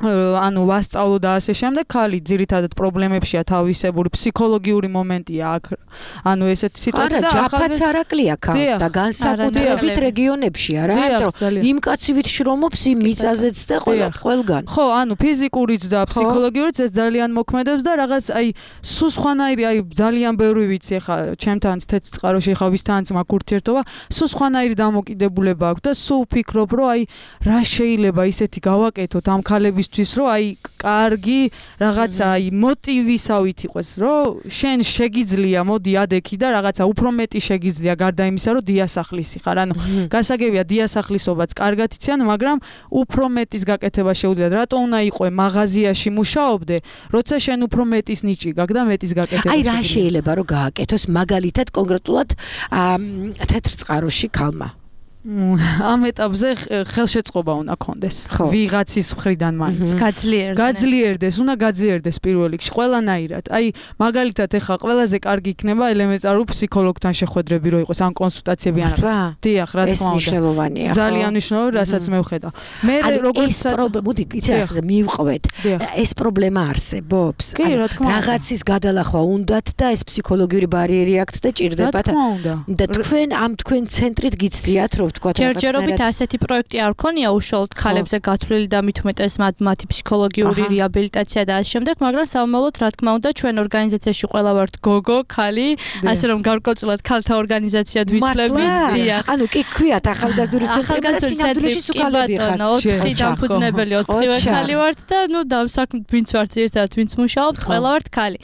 ანუ ვასწავლო და ასე შემდეგ, ქალი ძირითადად პრობლემებშია თავისებური, ფსიქოლოგიური მომენტია აქ. ანუ ესეთი სიტუაცია და ჯაფაც არაკლია ქალს და განსაკუთრებით რეგიონებში არა, იმიტომ იმ კაცივით შრომობს იმ მიწაზეც და ყველგან. ხო, ანუ ფიზიკურიც და ფსიქოლოგიურიც ეს ძალიან მოქმედებს და რაღაც აი სულ სხვანაირი, აი ძალიან ბევრი ვიცი ხა, ჩემთან თეთრ წყაროში ხა ვისთანაც მაქვს ურთიერთობა, სულ სხვანაირი დამოკიდებულება აქვს და სულ ვფიქრობ, რომ აი რა შეიძლება ისეთი გავაკეთოთ ამ ქალების რომ აი კარგი რაღაცა აი მოტივისავით იყოს რომ შენ შეგიძლია მოდი ადექი და რაღაცა უფრო მეტი შეგიძლია გარდა იმისა რომ დიასახლისი ხარ ანუ გასაგებია დიასახლისობაც კარგად იციან მაგრამ უფრო მეტის გაკეთება შეუძლიათ რატო უნდა იყო მაღაზიაში მუშაობდე როცა შენ უფრო მეტის ნიჭი გაქვს და მეტის გაკეთება აი რა შეიძლება რომ გააკეთოს მაგალითად კონკრეტულად თეთრ წყაროში ქალმა ამ ეტაპზე ხელშეწყობა უნდა კონდეს ვიღაცის მხრიდან მაინც გაძლიერდეს უნდა გაძლიერდეს პირველ რიგში ყველანაირად აი მაგალითად ეხა ყველაზე კარგი იქნება ელემენტარული ფსიქოლოგთან შეხვედრები რო იყოს ან კონსულტაციები ან რაღაც დიახ რა თქმა უნდა ეს მნიშვნელოვანია ძალიან მნიშვნელოვანია რასაც მე ვხედავ მე როგორც მოდი იცი მივყვეთ ეს პრობლემა არსებობს რაღაცის გადალახვა უნდათ და ეს ფსიქოლოგიური ბარიერი აქვთ და ჭირდებათ და თქვენ ამ თქვენ ცენტრით გიცდიათ რომ ჯერჯერობით ასეთი პროექტი არ ქონია უშუალოდ ქალებზე გათვლილი და მით უმეტეს მათი ფსიქოლოგიური რეაბილიტაცია და ასე შემდეგ, მაგრამ სამომავლოდ რა თქმა უნდა ჩვენ ორგანიზაციაში ყველა ვართ გოგო, ქალი, ასე რომ გარკვეულწილად ქალთა ორგანიზაციად ვითვლებით. ანუ კი ქვიათ ახალგაზრდული ცენტრი სუკალები ხარ. 4 დამფუძნებელი 4 ქალი ვართ და ნუ დავსაქმეთ ვინც ვართ ერთად ვინც მუშაობს, ყველა ვართ ქალი.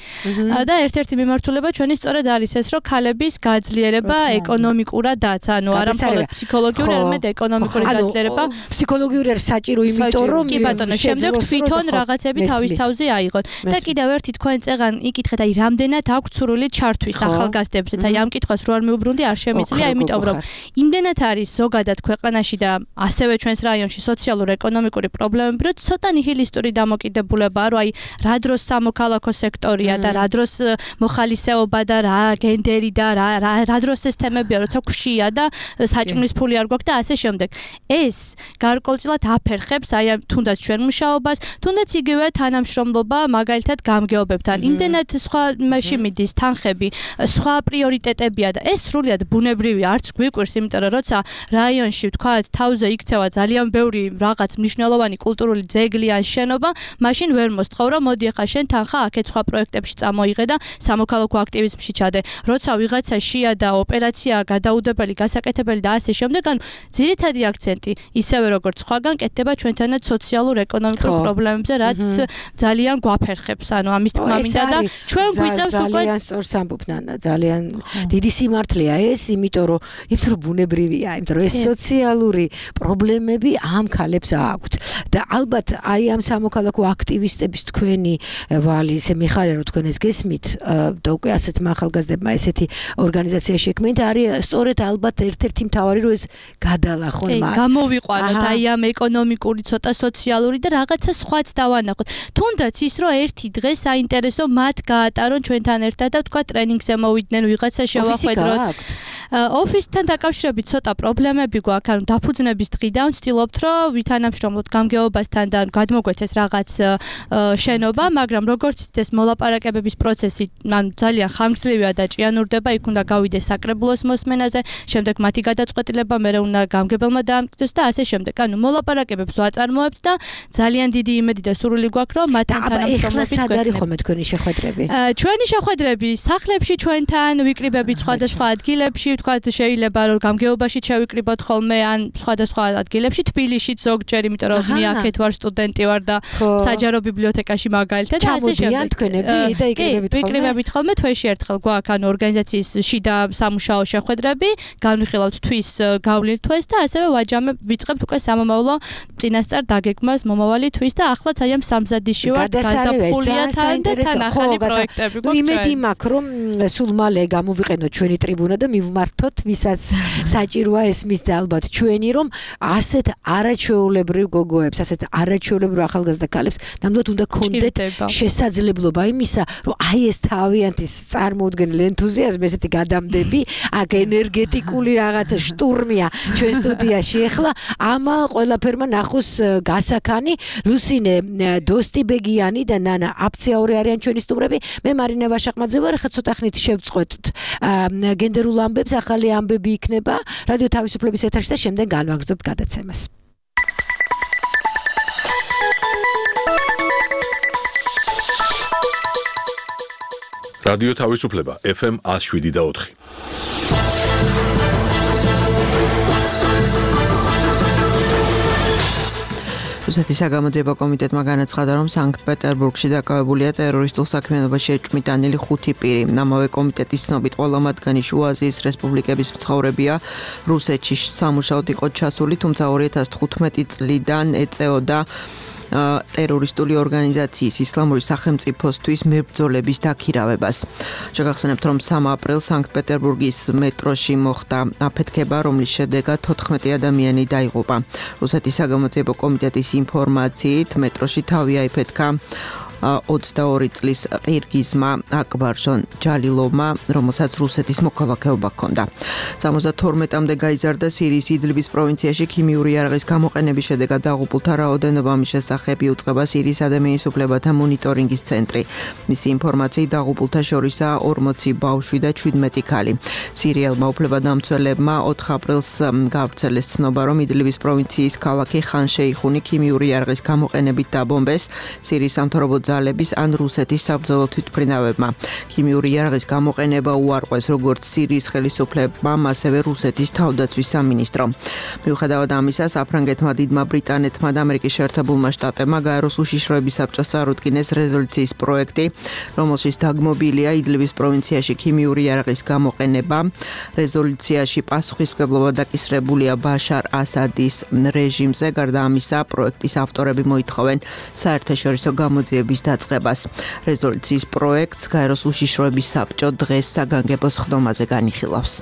და ერთ-ერთი მიმართულება ჩვენი სწორედ არის ეს, რომ ქალების გაძლიერება ეკონომიკურადაც, ანუ არა მხოლოდ ფსიქოლოგიური, არამედ ეკონომიკური გაძლიერება. ფსიქოლოგიური არის საჭირო, იმიტომ რომ კი ბატონო, შემდეგ თვითონ რაღაცები თავის თავზე აიღოთ. და კიდევ ერთი თქვენ წეგან იკითხეთ, აი რამდენად აქვს სრული ჩართვის ახალგაზრდებზე. აი ამ კითხვას რო არ მიუბრუნდი, არ შემიძლია, იმიტომ რომ იმდენად არის ზოგადად ქვეყანაში და ასევე ჩვენს რაიონში სოციალურ-ეკონომიკური პრობლემები, რომ ცოტა ნიჰილისტური დამოკიდებულებაა, რომ აი რა დროს სამოქალაქო სექტორია და რა დროს მოხალისეობა და რა გენდერი და რა დროს ეს თემებია, როცა გვშია და საჭმლის ფული არ გვაქვს და ასე შემდეგ. ეს გარკვეულწილად აფერხებს აი თუნდაც ჩვენ მუშაობას, თუნდაც იგივე თანამშრომლობა მაგალითად გამგეობებთან. იმდენად სხვა მასში მიდის თანხები, სხვა პრიორიტეტებია და ეს სრულიად ბუნებრივია, არც გვიკვირს, იმიტომ რომ როცა რაიონში ვთქვათ, თავზე იქცევა ძალიან ბევრი რაღაც მნიშვნელოვანი კულტურული ძეგლი ან შენობა, მაშინ ვერ მოსთხოვ, რომ მოდი ახლა შენ თანხა აქეთ სხვა პროექტებში წამოიღე და სამოქალაქო აქტივიზმში ჩადე. როცა ვიღაცა შია და ოპერაცია გადაუდებელი, გასაკეთებელი და ასე შემდეგ, ანუ ძირითადი აქცენტი ისევე როგორც სხვაგან კეთდება ჩვენთანაც სოციალურ-ეკონომიკურ პრობლემებზე, რაც ძალიან გვაფერხებს. ანუ ამის თქმა მინდა და ჩვენ გვიწევს უკვე ძალიან სწორს ამბობ ნანა, ძალიან დიდი სიმართლეა ეს, იმიტომ რომ ბუნებრივია, იმიტომ რომ ეს სოციალური პრობლემები ამ ქალებს აქვთ. და ალბათ აი ამ სამოქალაქო აქტივისტების თქვენი ვალი, ესე მიხარია რომ თქვენ ეს გესმით და უკვე ასეთმა ახალგაზრდებმა ესეთი ორგანიზაცია შექმნით, არის სწორედ ალბათ ერთ-ერთი მთავარი რომ ეს გადალახონ მათ. გამოვიყვანოთ აი ამ ეკონომიკური, ცოტა სოციალური და რაღაცა სხვაც დავანახოთ. თუნდაც ის რომ ერთი დღე საინტერესო მათ გაატარონ ჩვენთან ერთად და თქვა ტრენინგზე მოვიდნენ, ვიღაცა შევახვედროთ. ოფისთან დაკავშირებით ცოტა პრობლემები გვაქვს, ანუ დაფუძნების დღიდან ვცდილობთ, რომ ვითანამშრომლოთ გამგეობასთან და გადმოგვეცეს რაღაც შენობა, მაგრამ როგორც ეს მოლაპარაკებების პროცესი ძალიან ხანგრძლივია და ჭიანურდება, იქ უნდა გავიდეს საკრებულოს მოსმენაზე, შემდეგ მათი გადაწყვეტილება მე უნდა გამგებელმა დაამტკიცოს და ასე შემდეგ. ანუ მოლაპარაკებებს ვაწარმოებთ და ძალიან დიდი იმედი და სურვილი გვაქვს, რომ მათთან თანამშრომლობით სად არის ხოლმე თქვენი შეხვედრები? ჩვენი შეხვედრები სახლებში ჩვენთან, ვიკრიბებით სხვადასხვა ადგილებში, ვთქვათ, შეიძლება რომ გამგეობაში შევიკრიბოთ ხოლმე ან სხვადასხვა ადგილებში, თბილისშიც ზოგჯერ, იმიტომ რომ მე აქეთ ვარ სტუდენტი ვარ და საჯარო ბიბლიოთეკაში მაგალითად და ასე შემდეგ. თქვენები და იკრიბებით ხოლმე თვეში ერთხელ გვაქვს ანუ ორგანიზაციის შიდა სამუშაო შეხვედრები, განვიხილავთ თვის გავლით თვეს და ასევე ვიწყებთ უკვე სამომავლო წინასწარ დაგეგმას მომავალი თვის და ახლა ძალიან სამზადისში ვართ გაზაფხულია თან და თან ახალი პროექტები გვაქვს. იმედი მაქვს რომ სულ მალე გამოვიყენოთ ჩვენი ტრიბუნა და მივმართოთ ვისაც საჭიროა ესმის და ალბათ ჩვენი რომ ასეთ არაჩვეულებრივ გოგოებს, ასეთ არაჩვეულებრივ ახალგაზრდა ქალებს ნამდვილად უნდა გქონდეთ შესაძლებლობა იმისა, რომ აი ეს თავიანთი წარმოუდგენელი ენთუზიაზმი, ესეთი გადამდები, აქ ენერგეტიკული რაღაცა შტურმია ჩვენ სტუდიაში ახლა ამ ყველაფერმა ნახოს გასაქანი. ლუსინე დოსტიბეგიანი და ნანა აფციაური არიან ჩვენი სტუმრები. მე მარინა ვაშაყმაძე ვარ. ახლა ცოტა ხნით შევწყვეტთ გენდერულ ამბებს, ახალი ამბები იქნება რადიო თავისუფლების ეთერში და შემდეგ განვაგრძობთ გადაცემას. რადიო თავისუფლება FM 107.4. რუსეთის საგამოძიებო კომიტეტმა განაცხადა, რომ სანქტ-პეტერბურგში დაკავებულია ტერორისტულ საქმიანობაში ეჭვმიტანილი 5 პირი. ამავე კომიტეტის ცნობით ყველა მათგანი შუა აზიის რესპუბლიკების მცხოვრებია. რუსეთში სამუშაოდ იყო ჩასული, თუმცა 2015 წლიდან ეწეოდა ტერორისტული ორგანიზაციის ისლამური სახელმწიფოსთვის მებრძოლების დაქირავებას. შეგახსენებთ, რომ 3 აპრილს სანქტ-პეტერბურგის მეტროში მოხდა აფეთქება, რომლის შედეგად 14 ადამიანი დაიღუპა. რუსეთის საგამოძიებო კომიტეტის ინფორმაციით, მეტროში თავი აიფეთქა 22 წლის ყირგიზმა აკბარჟონ ჯალილოვმა, რომელსაც რუსეთის მოქალაქეობა ჰქონდა. 72-მდე გაიზარდა სირიის იდლიბის პროვინციაში ქიმიური იარაღის გამოყენების შედეგად დაღუპულთა რაოდენობა, ამის შესახებ იუწყება სირიის ადამიანის უფლებათა მონიტორინგის ცენტრი. მისი ინფორმაციით დაღუპულთა შორისაა 40 ბავშვი და 17 ქალი. სირიელმა უფლებადამცველებმა 4 აპრილს გავრცელეს ცნობა, რომ იდლიბის პროვინციის ქალაქი ხან შეიხუნი ქიმიური იარაღის გამოყენებით დაბომბეს სირიის სამთავრობო ძალების ან რუსეთის საბრძოლო თვითმფრინავებმა. ქიმიური იარაღის გამოყენება უარყვეს როგორც სირიის ხელისუფლებამ, ასევე რუსეთის თავდაცვის სამინისტრომ. მიუხედავად ამისა, საფრანგეთმა, დიდმა ბრიტანეთმა და ამერიკის შეერთებულმა შტატებმა გაეროს უშიშროების საბჭოს წარუდგინეს რეზოლუციის პროექტი, რომელშიც დაგმობილია იდლიბის პროვინციაში ქიმიური იარაღის გამოყენება. რეზოლუციაში პასუხისმგებლობა დაკისრებულია ბაშარ ასადის რეჟიმზე. გარდა ამისა, პროექტის ავტორები მოითხოვენ საერთაშორისო გამოძიების დაწყებას. რეზოლუციის პროექტს გაეროს უშიშროების საბჭო დღეს საგანგებო სხდომაზე განიხილავს.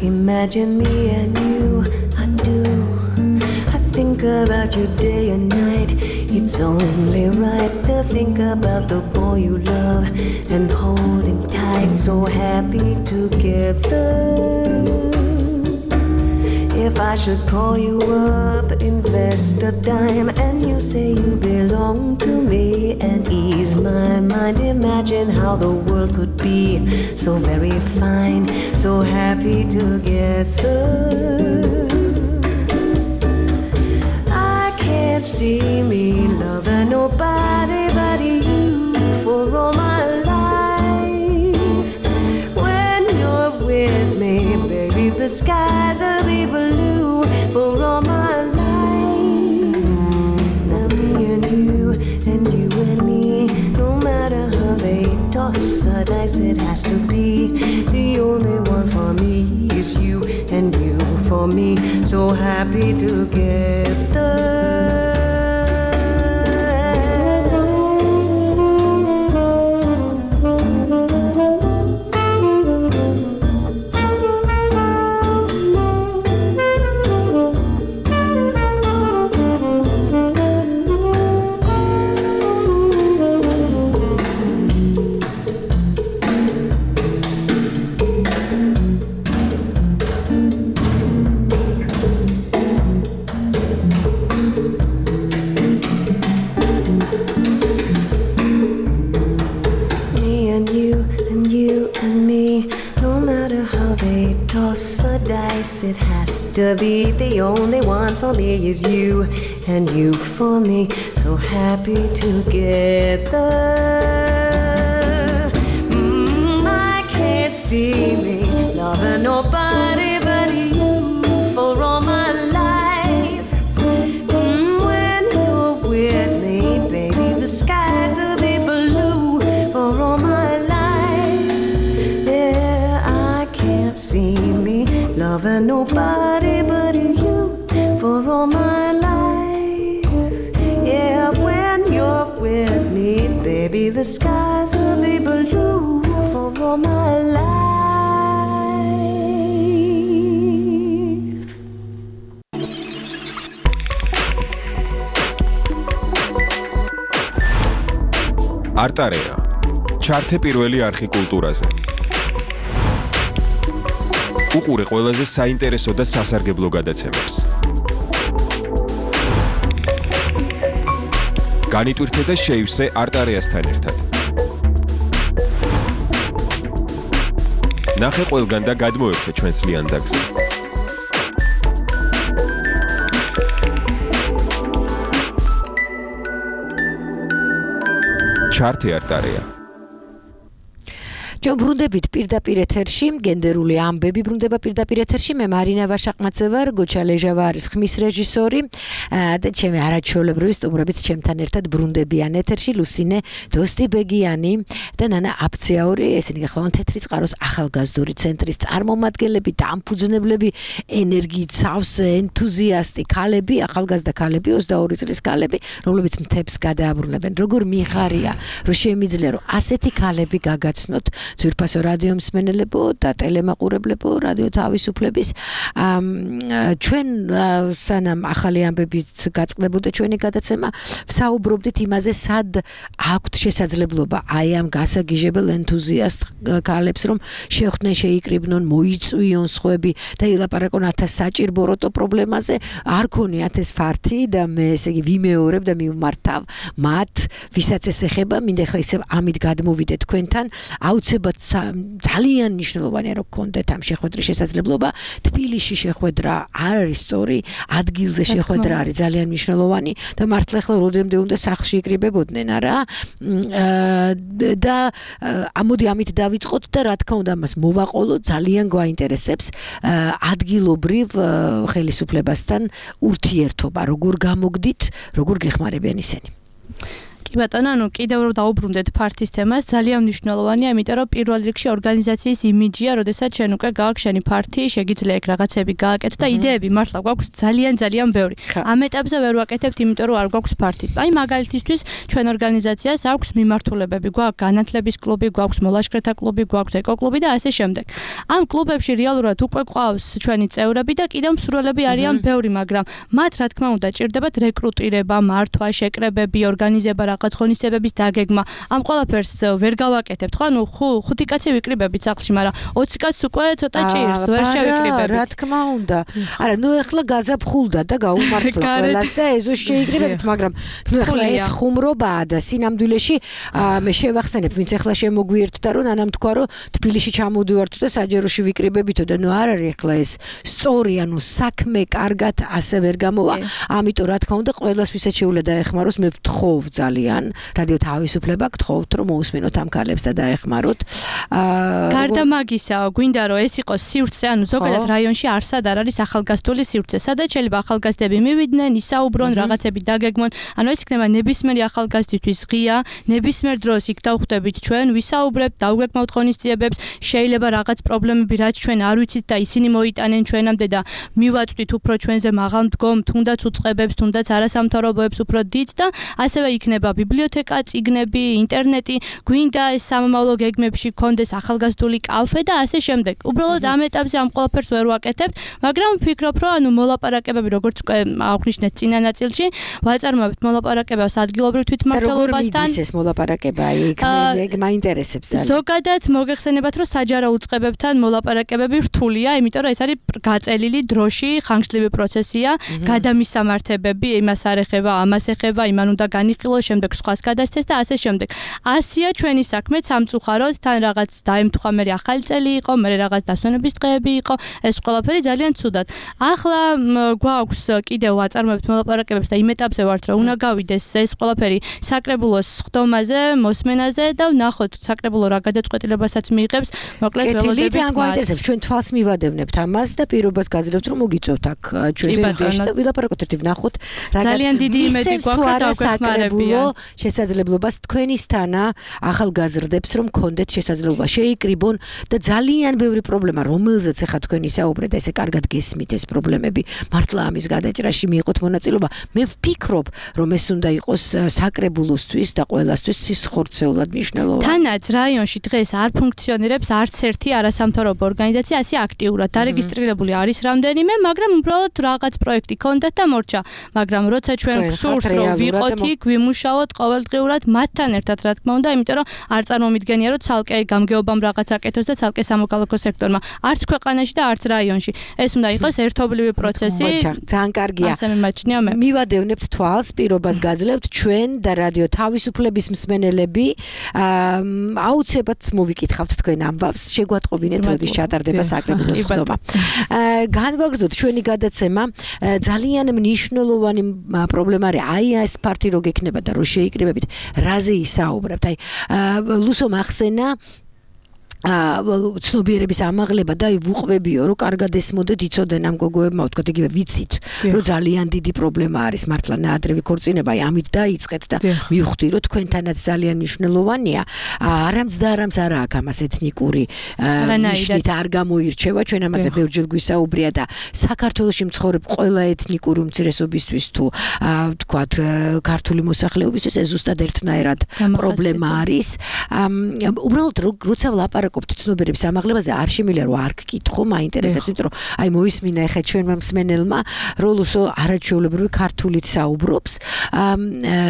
Imagine me and you, I do. I think about you day and night. It's only right to think about the boy you love and hold him tight. So happy together. If I should call you up, invest a dime, and you say you belong to me and ease my mind. Imagine how the world could be so very fine, so happy together. I can't see me loving nobody but you for all my life. When you're with me, baby, the skies will be blue for all my life. Now me and you and me, no matter how they toss or dice, it has to be. The only one for me is you and you for me, so happy together. to be the only one for me is you and you for me, so happy together. I can't see me loving nobody but you for all my life. When you're with me, baby, the skies will be blue for all my life. Yeah, I can't see me loving nobody but you for all my life. Yeah, when you're with me, baby, the skies will be blue for all my life. არტარეა ჩართე პირველი არხი კულტურაზე. უყურე ყველაზე საინტერესო და სასარგებლო გადაცემებს. განიტვირთე და შეივსე არტარეასთან ერთად. ნახე ყველგან და გადმოერთე ჩვენს ლიანდაგზე. ჩართე არტარეა. ჩვენ ბრუნდებით პირდაპირ ეთერში, გენდერული ამბები ბრუნდება პირდაპირ ეთერში. მე მარინა ვაშაყმაძე ვარ, გოჩა ლეჟავა არის ხმის რეჟისორი და ჩემი არაჩვეულებრივი სტუმრებით ჩემთან ერთად ბრუნდებიან ეთერში ლუსინე დოსტიბეგიანი და ნანა აფციაური, ესენი გახლავენ თეთრი წყაროს ახალგაზრდული ცენტრის წარმომადგენლები, დამფუძნებლები, ენერგიით სავსე, ენთუზიასტი ქალები, ახალგაზრდა ქალები, 22 წლის ქალები, რომლებიც მთებს გადააბრუნებენ. როგორ მიხარია, რომ შემიძლია რომ ასეთი ქალები გაგაცნოთ ძვირფასო რადიო მსმენელებო და ტელემაყურებლებო, რადიო თავისუფლების ჩვენ სანამ ახალი ამბებით გაწყდებოდა ჩვენი გადაცემა, ვსაუბრობდით იმაზე, სად აქვთ შესაძლებლობა აი ამ გასაგიჟებელ ენთუზიასტ ქალებს, რომ შეხვდნენ, შეიკრიბნონ, მოიწვიონ სხვები და ილაპარაკონ 1000 საჭირბოროტო პრობლემაზე, არ ქონიათ ეს ფართი და მე ესე იგი ვიმეორებ და მივმართავ მათ, ვისაც ეს ეხება, მინდა ხა ისე ამით გადმოვიდეთ თქვენთან, აუცილებლად ძალიან მნიშვნელოვანია რომ გქონდეთ ამ შეხვედრის შესაძლებლობა. თბილისში შეხვედრა არ არის სწორი, ადგილზე შეხვედრა არის ძალიან მნიშვნელოვანი და მართლა ახლა როდემდე უნდა სახლში იკრიბებოდნენ, არა? და ამოდი ამით დავიწყოთ და რა თქმა უნდა მას მოვაყოლოთ, ძალიან გვაინტერესებს ადგილობრივ ხელისუფლებასთან ურთიერთობა, როგორ გამოგდით, როგორ გეხმარებიან ისინი. კი ბატონო, ანუ კიდევ რომ დაუბრუნდეთ ფართის თემას, ძალიან მნიშვნელოვანია, იმიტომ რომ პირველ რიგში ორგანიზაციის იმიჯია, როდესაც ჩვენ უკვე გააქვს შენი ფართი, შეგიძლია ეგ რაღაცები გააკეთო და იდეები მართლა გვაქვს ძალიან ბევრი. ამ ეტაპზე ვერ ვაკეთებთ, იმიტომ რომ არ გვაქვს ფართი. აი მაგალითისთვის ჩვენ ორგანიზაციას აქვს მიმართულებები, გვაქვს განათლების კლუბი, გვაქვს მოლაშქრეთა კლუბი, გვაქვს ეკოკლუბი და ასე შემდეგ. ამ კლუბებში რეალურად უკვე ყავს ჩვენი წევრები და კიდევ მსურველები არიან ბევრი, მაგრამ მათ რა თქმა უნდა ჭირდებათ რეკრუტირება, მართვა, შეკრებები, ორგანიზება რაღაც ღონისძიებების დაგეგმა. ამ ყველაფერს ვერ გავაკეთებთ, ხო? ანუ 5 კაცი ვიკრიბებით სახლში, მაგრამ 20 კაცს უკვე ცოტა ჭირს, ვერ შევიკრიბებით. რა თქმა უნდა. არა, ნუ ეხლა გაზაფხულდა და გაუმართლა ყველას და ეზოს შეიკრიბებით, მაგრამ ნუ ეხლა ეს ხუმრობაა და სინამდვილეში მე შევახსენებ, ვინც ეხლა შემოგვიერთდა, რომ ანამ თქვა, რომ თბილისში ჩამოდივართ და საჯაროში ვიკრიბებითო და ნუ არ არის ეხლა ეს სწორი, ანუ საქმე კარგად ასე ვერ გამოვა. ამიტომ რა თქმა უნდა, ყველას ვისაც შეუძლია დაეხმაროს, მე ვთხოვ ძალიან რადიო თავისუფლება გთხოვთ რომ მოусმენოთ ამ ქალებს და დაეხმაროთ. გარდა მაგისა, გვინდა რომ ეს იყოს სივრცე, ანუ ზოგადად რაიონში არსად არ არის ახალგაზრდული სივრცე, სადაც შეიძლება ახალგაზრდები მივიდნენ, ისაუბრონ, რაღაცები დაგეგმონ. ანუ ეს იქნება ნებისმიერი ახალგაზრდისთვის ღია, ნებისმიერ დროს იქ დავხვდებით ჩვენ, ვისაუბრებთ, დავგეგმავთ ღონისძიებებს, შეიძლება რაღაც პრობლემები რაც ჩვენ არ ვიცით და ისინი მოიტანენ ჩვენამდე და მივაწვდით უფრო ჩვენზე მაღალ მდგომ, თუნდაც უწყებებს, თუნდაც არასამთავრობოებს უფრო დიდ და ასევე იქნება ბიბლიოთეკა, წიგნები, ინტერნეტი, გვინდა ეს სამომავლო გეგმებში გქონდეს ახალგაზრდული კაფე და ასე შემდეგ. უბრალოდ ამ ეტაპზე ამ ყველაფერს ვერ ვაკეთებთ, მაგრამ ვფიქრობ, რომ ანუ მოლაპარაკებები, როგორც უკვე აღნიშნეთ წინა ნაწილში, ვაწარმოებთ მოლაპარაკებებს ადგილობრივ თვითმმართველობასთან. როგორ მიდის ეს მოლაპარაკება? ეგ მაინტერესებს ძალიან. ზოგადად მოგეხსენებათ, რომ საჯარო უწყებებთან მოლაპარაკებები რთულია, იმიტომ რომ ეს არის გაწელილი დროში, ხანგრძლივი პროცესია, გადამისამართებები, იმას არ ეხება, ამას ეხება, იმან უნდა განიხილოს, შემდეგ სხვას გადასცეს და ასე შემდეგ. ასია ჩვენი საქმე სამწუხაროდ, თან რაღაც დაემთხვა, მე ახალი წელი იყო, მე რაღაც დასვენების დღეები იყო, ეს ყველაფერი ძალიან ცუდად. ახლა გვაქვს კიდევ აწარმოებთ მოლაპარაკებებს და იმ ეტაპზე ვართ, რომ უნდა გავიდეს ეს ყველაფერი საკრებულოს ხდომაზე, მოსმენაზე და ვნახოთ საკრებულო რა გადაწყვეტილებასაც მიიღებს. მოკლედ ველოდებით. ძალიან გვაინტერესებს, ჩვენ თვალს მივადევნებთ ამას და პირობას გაძლევთ, რომ მოგიწევთ აქ ჩვენს სტუდიაში და ვილაპარაკოთ ერთი ვნახოთ რა ძალიან დიდი იმედი გვაქვს და საკრებულო შესაძლებლობას თქვენისთანა ახალგაზრდებს რომ კონდეთ შესაძლებლობა შეიკრიბონ და ძალიან ბევრი პრობლემა რომელზეც ახლა თქვენი საუბრეთ ესე კარგად გესმით ეს პრობლემები მართლა ამის გადაჭრაში მიიღოთ მონაწილეობა მე ვფიქრობ რომ ეს უნდა იყოს საკრებულოსთვის და ყველასთვის სისხორცეულად მნიშვნელოვანი თანაც რაიონში დღეს არ ფუნქციონირებს არც ერთი არასამთავრობო ორგანიზაცია ასე აქტიურად დარეგისტრირებული არის რამდენიმე მაგრამ უბრალოდ რაღაც პროექტი კონდეთ და მორჩა მაგრამ როცა ჩვენ გსურს რომ ვიყოთ იქ ვიმუშაოთ ყოველდღიურად მათთან ერთად რა თქმა უნდა იმიტომ რომ არ წარმომიდგენია რომ ცალკე გამგეობამ რაღაც აკეთოს და ცალკე სამოქალაქო სექტორმა არც ქვეყანაში და არც რაიონში ეს უნდა იყოს ერთობლივი პროცესი ძალიან კარგია ასე მიმაჩნია მე მივადევნებთ თვალს პირობას გაძლევთ ჩვენ და რადიო თავისუფლების მსმენელები აუცილებლად მოვიკითხავთ თქვენ ამბავს შეგვატყობინეთ როდის ჩატარდება საკრებულოს ხდომა განვაგრძოთ ჩვენი გადაცემა ძალიან მნიშვნელოვანი პრობლემა არის აი ეს ფარტი რო გექნება და რო შეიკრიბებით რაზე ისაუბრებთ აი ლუსო მახსენა ცნობიერების ამაღლება და ვუყვებიო რომ კარგად ესმოდეთ იცოდენ ამ გოგოებმა ვთქვათ იგივე ვიცით რომ ძალიან დიდი პრობლემა არის მართლა ნაადრევი ქორწინება აი ამით დაიწყეთ და მივხვდი რომ თქვენთანაც ძალიან მნიშვნელოვანია არამც და არამც არა აქვს ამას ეთნიკური ნიშნით არ გამოირჩევა ჩვენ ამაზე ბევრჯერ გვისაუბრია და საქართველოში მცხოვრებ ყველა ეთნიკური უმცირესობისთვის თუ ვთქვათ ქართული მოსახლეობისთვის ეს ზუსტად ერთნაირად პრობლემა არის უბრალოდ როცა ვლაპარაკობთ ცნობიერების ამაღლებაზე არ შემიძლია რომ არ გკითხო მაინტერესებს იმიტომ რომ აი მოისმინა ახლა ჩვენმა მსმენელმა რომ ლუსო არაჩვეულებრივი ქართულით საუბრობს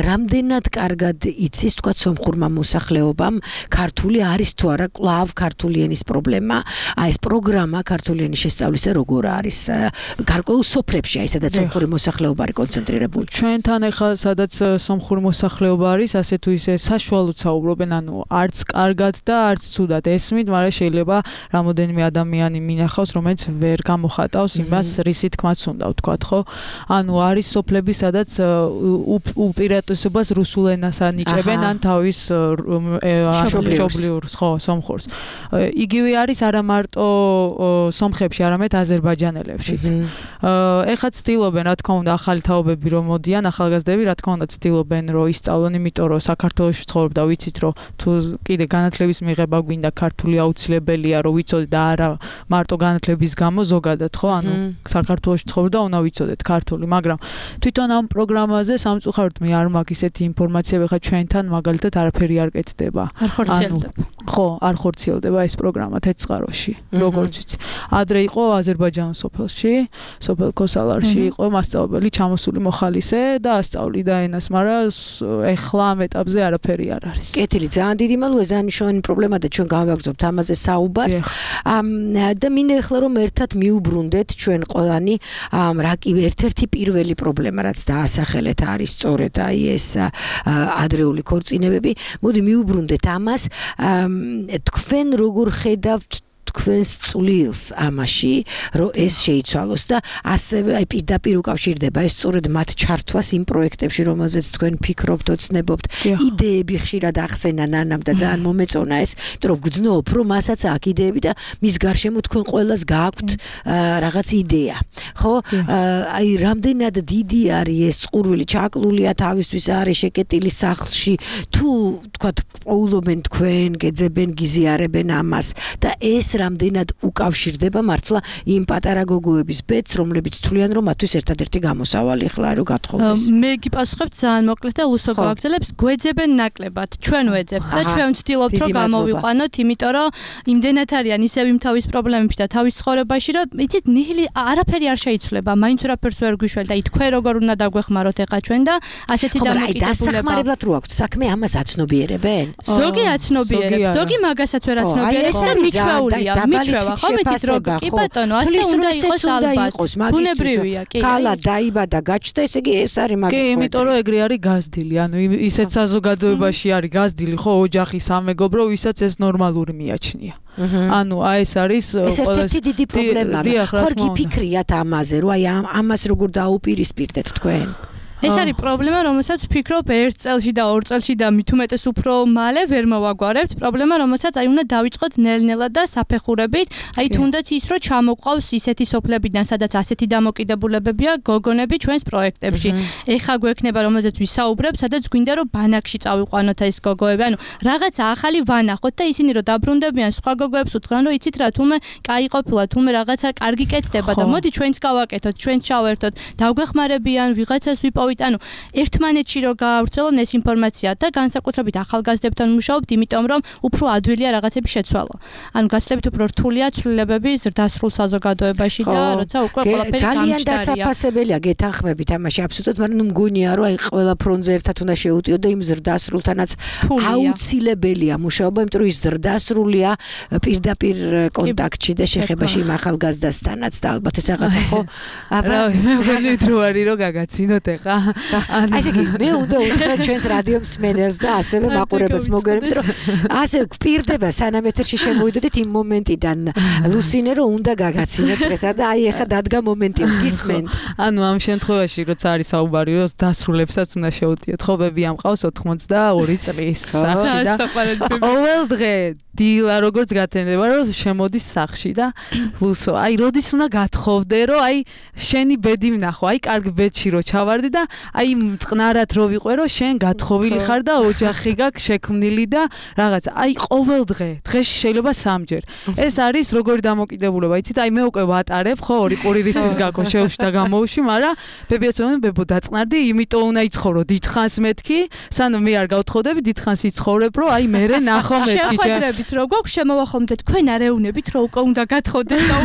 რამდენად კარგად იცის თქვა სომხურმა მოსახლეობამ ქართული არის თუ არა კლავ ქართული ენის პრობლემა აი ეს პროგრამა ქართული ენის შესწავლისა როგორ არის გარკვეულ სოფლებში აი სადაც სომხური მოსახლეობა არის კონცენტრირებული ჩვენთან ახლა სადაც სომხური მოსახლეობა არის ასე თუ ისე საშუალოდ საუბრობენ ანუ არც კარგად და არც ცუდად ესმით მაგრამ შეიძლება რამოდენიმე ადამიანი მინახავს რომელიც ვერ გამოხატავს იმას რისი თქმაც უნდა ვთქვათ ხო ანუ არის სოფლები სადაც უპირატესობას რუსულ ენას ანიჭებენ ან თავის მშობლიურ ხო სომხურს იგივე არის არა მარტო სომხებში არამედ აზერბაიჯანელებშიც ეხლა ცდილობენ რა თქმა უნდა ახალი თაობები რომ მოდიან ახალგაზრდები რა თქმა უნდა ცდილობენ რომ ისწავლონ იმიტომ რომ საქართველოში ცხოვრობ და ვიცით რომ თუ კიდე განათლების მიღება გვინდა ქართული აუცილებელია რომ ვიცოდეთ და არა მარტო განათლების გამო ზოგადად ხო ანუ საქართველოში ცხოვრობ და უნდა ვიცოდეთ ქართული მაგრამ თვითონ ამ პროგრამაზე სამწუხაროდ მე არ მაქვს ისეთი ინფორმაციები ხა ჩვენთან მაგალითად არაფერი არ კეთდება არ ხორციელდება ხო არ ხორციელდება ეს პროგრამა თეცხაროში როგორც ვიცი ადრე იყო აზერბაიჯანის სოფელში სოფელ ქოსალარში იყო მასწავლებელი ჩამოსული მოხალისე და ასწავლიდა ენას მაგრამ ეხლა ამ ეტაპზე არაფერი არ არის კეთილი ძალიან დიდი მადლობა ძალიან მნიშვნელოვანი პრობლემა და ჩვენ გავაგრძობთ ამაზე საუბარს და მინდა ეხლა რომ ერთად მიუბრუნდეთ ჩვენ ყველანი რა კი ერთ-ერთი პირველი პრობლემა რაც დაასახელეთ არის სწორედ აი ეს ადრეული ქორწინებები მოდი მიუბრუნდეთ ამას თქვენ როგორ ხედავთ თქვენს წვლილს ამაში რომ ეს შეიცვალოს და ასევე აი პირდაპირ უკავშირდება ეს სწორედ მათ ჩართვას იმ პროექტებში რომელზეც თქვენ ფიქრობთ ოცნებობთ იდეები ხშირად ახსენა ნანამ და ძალიან მომეწონა ეს იმიტომ რომ გძნობ რომ მასაც აქვს იდეები და მის გარშემო თქვენ ყველას გააქვთ რაღაც იდეა ხო აი რამდენად დიდი არის ეს ყურვილი ჩაკლულია თავისთვის არის შეკეტილი სახლში თუ თქვათ პოულობენ თქვენ გეძებენ გიზიარებენ ამას და ეს რამდენად უკავშირდება მართლა იმ პატარა გოგოების ბედს, რომლებიც თვლიან, რომ მათთვის ერთადერთი გამოსავალი ხლა რო გათხოვდეს. მე გიპასუხებ ძალიან მოკლედ და უსო გავაგზავნებს, გვეძებენ ნაკლებად, ჩვენ ვეძებთ და ჩვენ ვცდილობთ რომ გამოვიყვანოთ, იმიტომ რომ იმდენად არიან ისევ იმ თავის პრობლემებში და თავის ცხოვრებაში, რომ იცით, ნიჰილი არაფერი არ შეიცვლება, მაინც რაფერს ვერ გვიშველთ და თქვენ როგორ უნდა დაგვეხმაროთ ახლა ჩვენ და ასეთი დამოკიდებულება. აი დასახმარებლად რო აქვთ საქმე, ამას აცნობიერებენ? ზოგი აცნობიერებს, ზოგი მაგასაც ვერ აცნობიერებს და მიჩვეულია. მიჩვევა ხო მეთით როგორ კი ბატონო ასე უნდა იყოს ალბათ ბუნებრივია კი კალა დაიბადა გაჩნდა ესე იგი ეს არის მაგის კი იმიტომ რომ ეგრე არის გაზრდილი ანუ ისეთ საზოგადოებაში არის გაზრდილი ხო ოჯახი სამეგობრო ვისაც ეს ნორმალური მიაჩნია ანუ აი ეს არის ეს ერთ-ერთი დიდი პრობლემაა ხო გიფიქრიათ ამაზე რომ აი ამას როგორ დაუპირისპირდეთ თქვენ ეს არის პრობლემა, რომელსაც ვფიქრობ ერთ წელში და ორ წელში და მით უმეტეს უფრო მალე ვერ მოვაგვარებთ. პრობლემა, რომელსაც აი უნდა დავიწყოთ ნელ-ნელად და საფეხურებით. აი თუნდაც ის რომ ჩამოყავს ისეთი სოფლებიდან, სადაც ასეთი დამოკიდებულებებია გოგონები ჩვენს პროექტებში. ეხა გვექნება, რომელზეც ვისაუბრებ, სადაც გვინდა რომ ბანაკში წავიყვანოთ ეს გოგოები. ანუ რაღაცა ახალი ვანახოთ და ისინი რომ დაბრუნდებიან სხვა გოგოებს უთხრან, რომ იცით რა, თუმე კაი ყოფილა, თუმე რაღაცა კარგი კეთდება და მოდი ჩვენც გავაკეთოთ, ჩვენც ჩავერთოთ, დავგვეხმარებიან, ვიღაცას ვიპოვოთ ანუ ერთმანეთში რო გაავრცელონ ეს ინფორმაცია და განსაკუთრებით ახალგაზრდებთან მუშაობთ, იმიტომ რომ უფრო ადვილია რაღაცები შეცვალო. ანუ გაცილებით უფრო რთულია ცვლილებები ზრდასრულ საზოგადოებაში და როცა უკვე ყველაფერი გამჭდარია. ძალიან დასაფასებელია გეთანხმებით ამაში აბსოლუტურად, მაგრამ ნუ მგონია რომ აი ყველა ფრონტზე ერთად უნდა შეუტიო და იმ ზრდასრულთანაც აუცილებელია მუშაობა, იმიტომ რომ ის ზრდასრულია პირდაპირ კონტაქტში და შეხებაში იმ ახალგაზრდასთანაც და ალბათ ეს რაღაცა ხო აბა მე დრო არის რომ გაგაცინოთ ეხა ასე კი მე უნდა უთხრა ჩვენს რადიო მსმენელს და ასევე მაყურებელს მოგერებთ რომ ასე გვპირდება სანამ ეთერში შემოვიდოდით იმ მომენტიდან ლუსინე რომ უნდა გაგაცინოთ დღესა და აი ეხა დადგა მომენტი გისმენთ ანუ ამ შემთხვევაში როცა არის საუბარი რომ დასრულებსაც უნდა შეუტიოთ ხო ბები ამყავს 82 წლის სახში და ყოველ დღე დილა როგორც გათენდება რომ შემოდის სახში და ლუსო აი როდის უნდა გათხოვდე რომ აი შენი ბედი ვნახო აი კარგ ბედში რო ჩავარდი და აი წყნარად რო ვიყო რომ შენ გათხოვილი ხარ და ოჯახი გაქვს შექმნილი და რაღაც აი ყოველ დღეში შეიძლება სამჯერ ეს არის როგორი დამოკიდებულება იცით აი მე უკვე ვატარებ ხო ორი კვირისთვის გაქო შევში და გამოვში მაგრამ ბებიაც მომენ ბებო დაწყნარდი იმიტომ უნდა იცხოვრო დიდხანს მეთქი სანამ მე არ გავთხოვდები დიდხანს იცხოვრებ რომ აი მე ნახო მეთქი რო გვაქვს შემოვახომდეთ თქვენ არეუნებით რო უკვე უნდა გათხოვდეთ და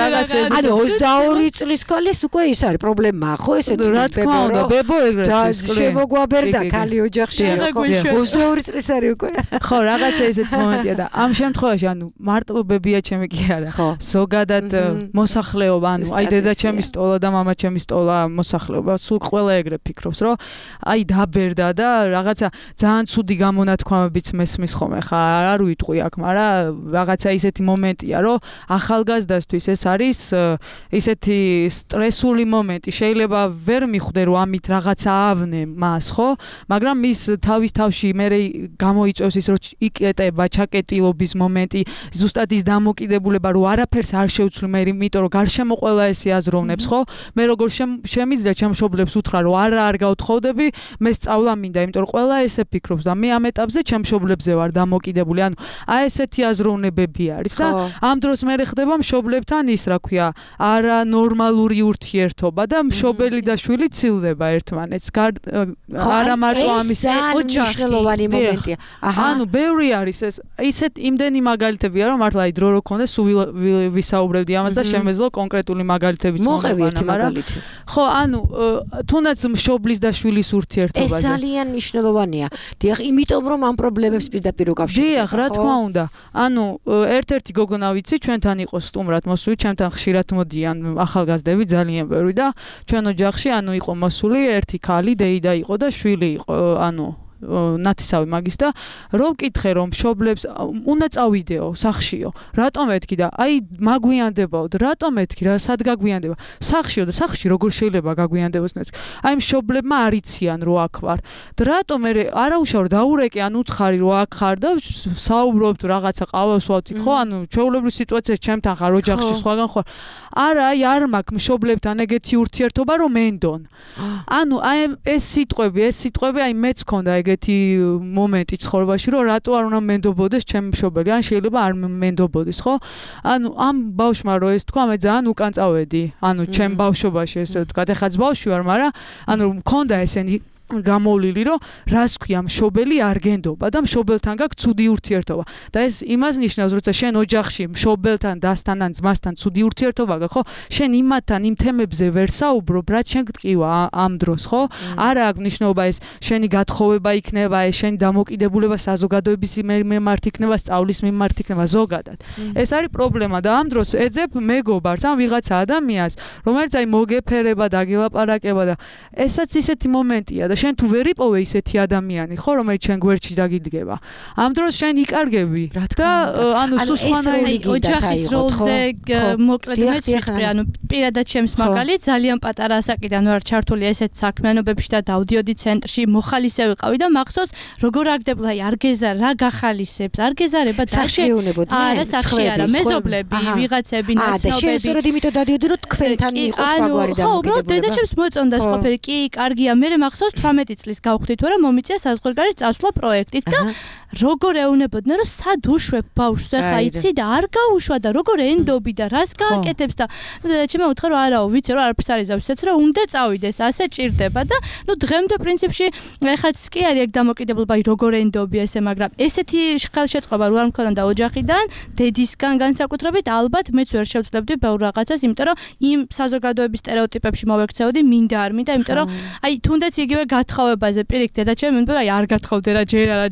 რაღაც ეს ანუ 22 წლის ქალის უკვე ის არის პრობლემა ხო ესე რა თქმა უნდა ბებო ეგრეთ და შემოგვაბერდა ქალი ოჯახში ხო 22 წლის არის უკვე ხო რაღაცა ესეთ მომენტია და ამ შემთხვევაში ანუ მარტო ბებია ჩემი კი არა ზოგადად მოსახლეობა ანუ აი დედა ჩემი სტოლა და მამა ჩემი სტოლა მოსახლეობა სულ ყველა ეგრე ფიქრობს რომ აი დაბერდა და რაღაცა ძალიან ცუდი გამონათქვამებიც მესმის ხომ ხა არ ვიტყვი აქ მაგრამ რაღაცა ისეთი მომენტია რომ ახალგაზრდასთვის ეს არის ისეთი სტრესული მომენტი შეიძლება ვერ მიხვდე რომ ამით რაღაცა ავნე მას ხო მაგრამ ის თავის თავში მე გამოიწვევს ის რომ იკეტება ჩაკეტილობის მომენტი ზუსტად ის დამოკიდებულება რომ არაფერს არ შევცვლი მე იმიტომ რომ გარშემო ყველა ესე აზროვნებს ხო მე როგორ შემიძლია ჩემშობლებს უთხრა რომ არ გავთხოვდები მე სწავლა მინდა იმიტომ რომ ყველა ესე ფიქრობს და მე ამ ეტაპზე ჩემშობლებზე ვარ დამოკიდებული ანუ აი ესეთი აზროვნებები არის და ამ დროს მე ხდება მშობლებთან ის რა ქვია არა ნორმალური ურთიერთობა და მშობელი და შვილი ცილდება ერთმანეთს არა მარტო ამის ოჯახი მომენტია ანუ ბევრი არის ეს ისეთ იმდენი მაგალითებია რომ მართლა აი დრო რო ქონდეს ვისაუბრებდი ამას და შემეძლო კონკრეტული მაგალითებიც მოყვევი მაგრამ ხო ანუ თუნდაც მშობლის და შვილის ურთიერთობაზე ეს ძალიან მნიშვნელოვანია დიახ იმიტომ რომ ამ პრობლემებს პირდაპირ უკავშირდება დიახ რა თქმა უნდა ანუ ერთ-ერთი გოგონა ვიცი ჩვენთან იყო სტუმრად მოსული ჩემთან ხშირად მოდიან ახალგაზრდები ძალიან ბევრი და ჩვენ ოჯახში ანუ იყო მოსული ერთი ქალი დეიდა იყო და შვილი იყო ანუ ნათისავი მაგის და რომ ვკითხე რომ მშობლებს უნდა წავიდეო სახშიო რატომ ეთქი და აი მაგვიანდებაოდ რატომ ეთქი რა სად გაგვიანდება სახშიო და სახში როგორ შეიძლება გაგვიანდებოს აი მშობლებმა არიციან რომ აქ ვარ და რატომ მე არაუშავ დაურეკე ან უთხარი რომ აქ ხარ და საუბრობთ რაღაცა ყავას ვავთი ხო ანუ ჩვეულებრივ სიტუაციაში ჩემთან ხარ ოჯახში სხვაგან ხარ არა აი არ მაქვს მშობლებთან ეგეთი ურთიერთობა რომ მენდონ ანუ აი ეს სიტყვები აი მეც ქონდა ეგეთი მომენტი ცხოვრებაში რომ რატო არ უნდა მენდობოდეს ჩემი მშობელი ან შეიძლება არ მენდობოდეს ხო ანუ ამ ბავშვმა რო ეს თქვა მე ძალიან უკან წავედი ანუ ჩემ ბავშვობაში ესე ვთქვა ეხაც ბავშვი ვარ მაგრამ ანუ მქონდა ესენი გამოვლილი, რომ რას ქვია მშობელი არ გენდობა და მშობელთან გაქვს ცუდი ურთიერთობა. და ეს იმას ნიშნავს, როცა შენ ოჯახში მშობელთან, დასთან ან ძმასთან ცუდი ურთიერთობა გაქვს, ხო? შენ იმათთან იმ თემებზე ვერ საუბრობ, რაც შენ გტკივა ამ დროს, ხო? არა აქვს მნიშვნელობა ეს შენი გათხოვება იქნება, ეს შენი დამოკიდებულება საზოგადოების მიმართ იქნება, სწავლის მიმართ იქნება ზოგადად. ეს არის პრობლემა და ამ დროს ეძებ მეგობარს, ან ვიღაცა ადამიანს, რომელიც აი მოგეფერება, დაგელაპარაკება და ესაც ისეთი მომენტია და შენ თუ ვერ იპოვე ისეთი ადამიანი, ხო, რომელიც შენ გვერდში დაგიდგება. ამ დროს შენ იკარგები და ანუ სულ სხვანაირი ოჯახის როლზე მოკლედ მეც ვიტყვი, ანუ პირადად ჩემს მაგალითს ძალიან პატარა ასაკიდან ვარ ჩართული ესეთ საქმიანობებში და დავდიოდი ცენტრში, მოხალისე ვიყავი და მახსოვს როგორ აგდებლა, აი არ გეზარ, რა გახალისებს, არ გეზარება და არა სახში არა, მეზობლები, ვიღაცები, ნაცნობები. და შენ სწორედ იმიტომ დადიოდი, რომ თქვენთან იყოს სხვაგვარი დამოკიდებულება. ხო, უბრალოდ დედაჩემს მოწონდა ყველაფერი, კი, კარგია, მე მახსოვს 18 წლის გავხდით, რომ მომიწია საზღვარგარეთ წასვლა პროექტით და როგორ ეუნებოდნენ, რომ სად უშვებ ბავშვს, ახლა იცი და არ გაუშვა და როგორ ენდობი და რას გააკეთებს და ნუ დედაჩემ უთხრა, რომ არაო, ვიცი რომ არაფერს არ იზავს, ისეც რომ უნდა წავიდეს, ასე ჭირდება და ნუ დღემდე პრინციპში ეხაც კი არის ეგ დამოკიდებულება, როგორ ენდობი ესე, მაგრამ ესეთი ხელშეწყობა რო არ მქონდა ოჯახიდან, დედისგან განსაკუთრებით, ალბათ მეც ვერ შევძლებდი ბევრ რაღაცას, იმიტომ რომ იმ საზოგადოების სტერეოტიპებში მოვექცეოდი, მინდა არ მინდა, იმიტომ რომ აი თუნდაც იგივე გათხოვებაზე პირიქით დედაჩემ მენდა აი არ გათხოვდე რა, ჯერ არა.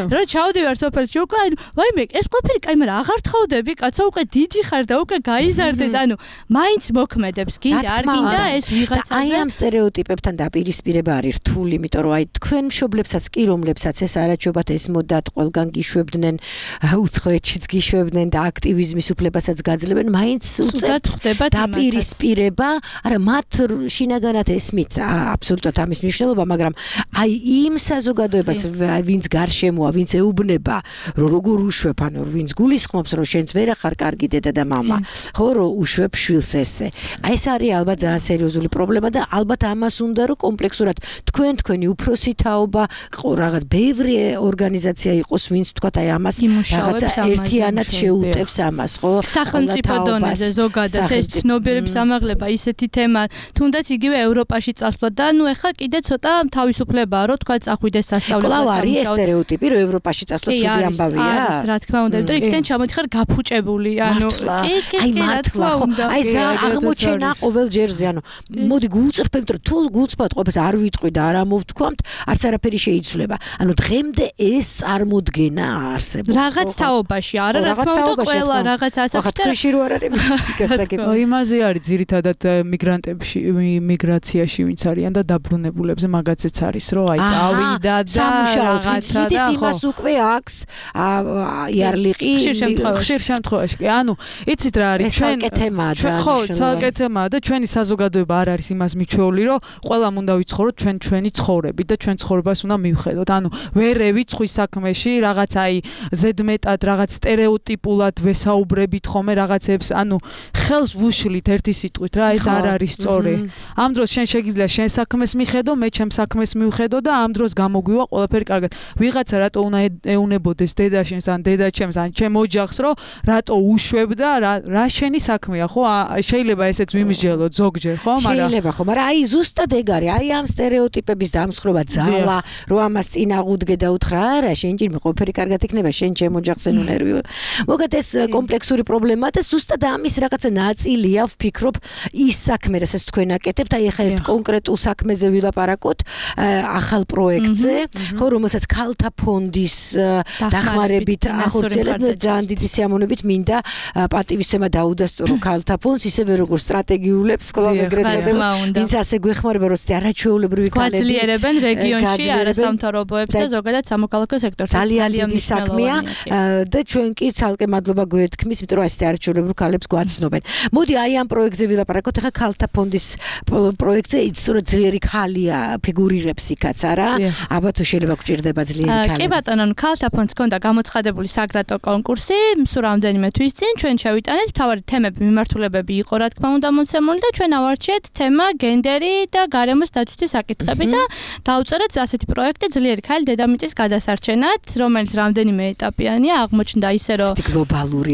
რა ჩავდივარ სოფელში უკვე აი ვაიმე ეს ყველაფერი კაი, მაგრამ აღარ თხოვდები, კაცო უკვე დიდი ხარ და უკვე გაიზარდე და ანუ მაინც მოქმედებს, გინდა არ გინდა ეს ვიღაცაზე. აი ამ სტერეოტიპებთან დაპირისპირება არის რთული, იმიტომ რომ აი თქვენ მშობლებსაც კი რომლებსაც ეს არაჩვენებათ ეს მოდათ ყველგან გიშვებდნენ, უცხოეთშიც გიშვებდნენ და აქტივიზმის უფლებასაც გაძლევენ, მაინც უწევთ დაპირისპირება, არა მათ შინაგანად ესმით აბსოლუტურად ამის მნიშვნელობა, მაგრამ აი იმ საზოგადოებას ვინც გარშემოა, ვინც ეუბნება, რომ როგორ უშვებ, ანუ ვინც გულისხმობს, რომ შენც ვერ ახარ კარგი დედა და მამა, ხო, რომ უშვებ შვილს ესე. აი ეს არის ალბათ ძალიან სერიოზული პრობლემა და ალბათ ამას უნდა რომ კომპლექსურად თქვენი უფროსი თაობა, რაღაც ბევრი ორგანიზაცია იყოს, ვინც თქვათ აი ამას რაღაცა ერთიანად შეუტევს ამას, ხო? სახელმწიფო დონეზე ზოგადად ეს ცნობიერების ამაღლება ისეთი თემა, თუნდაც იგივე ევროპაში წასვლა და ნუ ეხა კიდე ცოტა თავისუფლებაა, რომ თქვა წახვიდეს სასწავლებლად. კვლავ არის ეს სტერეოტიპი, რომ ევროპაში წასვლა ცუდი ამბავია. არის, რა თქმა უნდა, იმიტომ რომ იქიდან ჩამოდიხარ გაფუჭებული, ანუ აი მართლა, ხო, აი აღმოჩენა ყოველ ჯერზე, ანუ მოდი გულწრფებთ, რომ თუ გულწრფად ყოფს არ ვიტყვი და არ ამოვთქვამთ, არც არაფერი შეიცვლება. ანუ დღემდე ეს წარმოდგენა არსებობს. რაღაც თაობაში, არა, რა თქმა უნდა, ყველა რაღაც ასაკში თქვენში რო არ არის გასაგები. იმაზე არის ძირითადად მიგრანტებში, მიგრაციაში ვინც არიან და დაბრუნებულებზე მაგაცეც არის, რომ აი წავიდა და რაღაცა და იმას უკვე აქვს იარლიყი ხშირ შემთხვევაში. ანუ იცით რა არის ჩვენ ხო, ცალკე თემაა და ჩვენი საზოგადოება არ არის იმას მიჩვეული, რომ ყველამ უნდა ვიცხოვროთ ჩვენი ცხოვრებით და ჩვენ ცხოვრებას უნდა მივხედოთ. ანუ ვერ ევიცხვი საქმეში, რაღაც აი ზედმეტად რაღაც სტერეოტიპულად ვესაუბრებით ხოლმე რაღაცებს, ანუ ხელს ვუშლით ერთი სიტყვით რა, ეს არ არის სწორი. ამ დროს შენ შეგიძლია შენ საქმეს მიხედო, მე ჩემ საქმეს მივხედო და ამ დროს გამოგვივა ყველაფერი კარგად. ვიღაცა რატო უნდა ეუნებოდეს დედაშენს ან დედაჩემს ან ჩემ ოჯახს, რომ რატო უშვებ და რა შენი საქმეა, ხო? შეიძლება ესეც ვიმსჯელოთ ზოგჯერ, ხო? შეიძლება, ხო, მაგრამ აი ზუსტად ეგ არის, აი ამ სტერეოტიპების დამსხრობა ძალა, რომ ამას წინაღუდგე და უთხრა, არა, შენ ჭირმე ყველაფერი კარგად იქნება, შენ ჩემ ოჯახზე ნუ ნერვიულ. მოგეთ ეს კომპლექსური პრობლემაა და ზუსტად ამის რაღაცა ნაწილია, ვფიქრობ, ის საქმე, რასაც თქვენ აკეთებთ, აი ახლა ერთ კონკრეტულ საქმეზე ვილაპარაკოთ, ახალ პროექტზე, ხო, რომელსაც ქალთა ფონდის დახმარებით ახორციელებთ, ძალიან დიდი სიამოვნებით მინდა პატივისცემა დაუდასტურო ქალთა ფონდს, ისევე როგორც სტრატეგიულებს, კვლავ ეგრეთ წოდებას, ვინც ასე გვეხმარება, რომ არაჩვეულებრივი ქალები გვაძლიერებენ რეგიონში არასამთავრობოებს და ზოგადად სამოქალაქო სექტორს. ძალიან დიდი საქმეა და ჩვენ კი ცალკე მადლობა გვეთქმის, იმიტომ რომ ასეთი არაჩვეულებრივ ქალებს გვაცნობენ. მოდი აი ამ პროექტზე ვილაპარაკოთ, ახლა ქალთა ფონდის პროექტზე, სწორედ ძლიერი ქალია ფიგურირებს იქაც, არა? აბა თუ შეიძლება გჭირდება ძლიერი ქალი. კი ბატონო, ქალთა ფონდს ჰქონდა გამოცხადებული საგრატო კონკურსი, სულ რამდენიმე თვის წინ ჩვენ შევიტანეთ, მთავარი თემები, მიმართულებები იყო რა თქმა უნდა მოცემული და ჩვენ ავარჩიეთ თემა გენდერი და გარემოს დაცვის საკითხები და დავწერეთ ასეთი პროექტი ძლიერი ქალი დედამიწის გადასარჩენად, რომელიც რამდენიმე ეტაპიანია, აღმოჩნდა ისე რომ გლობალური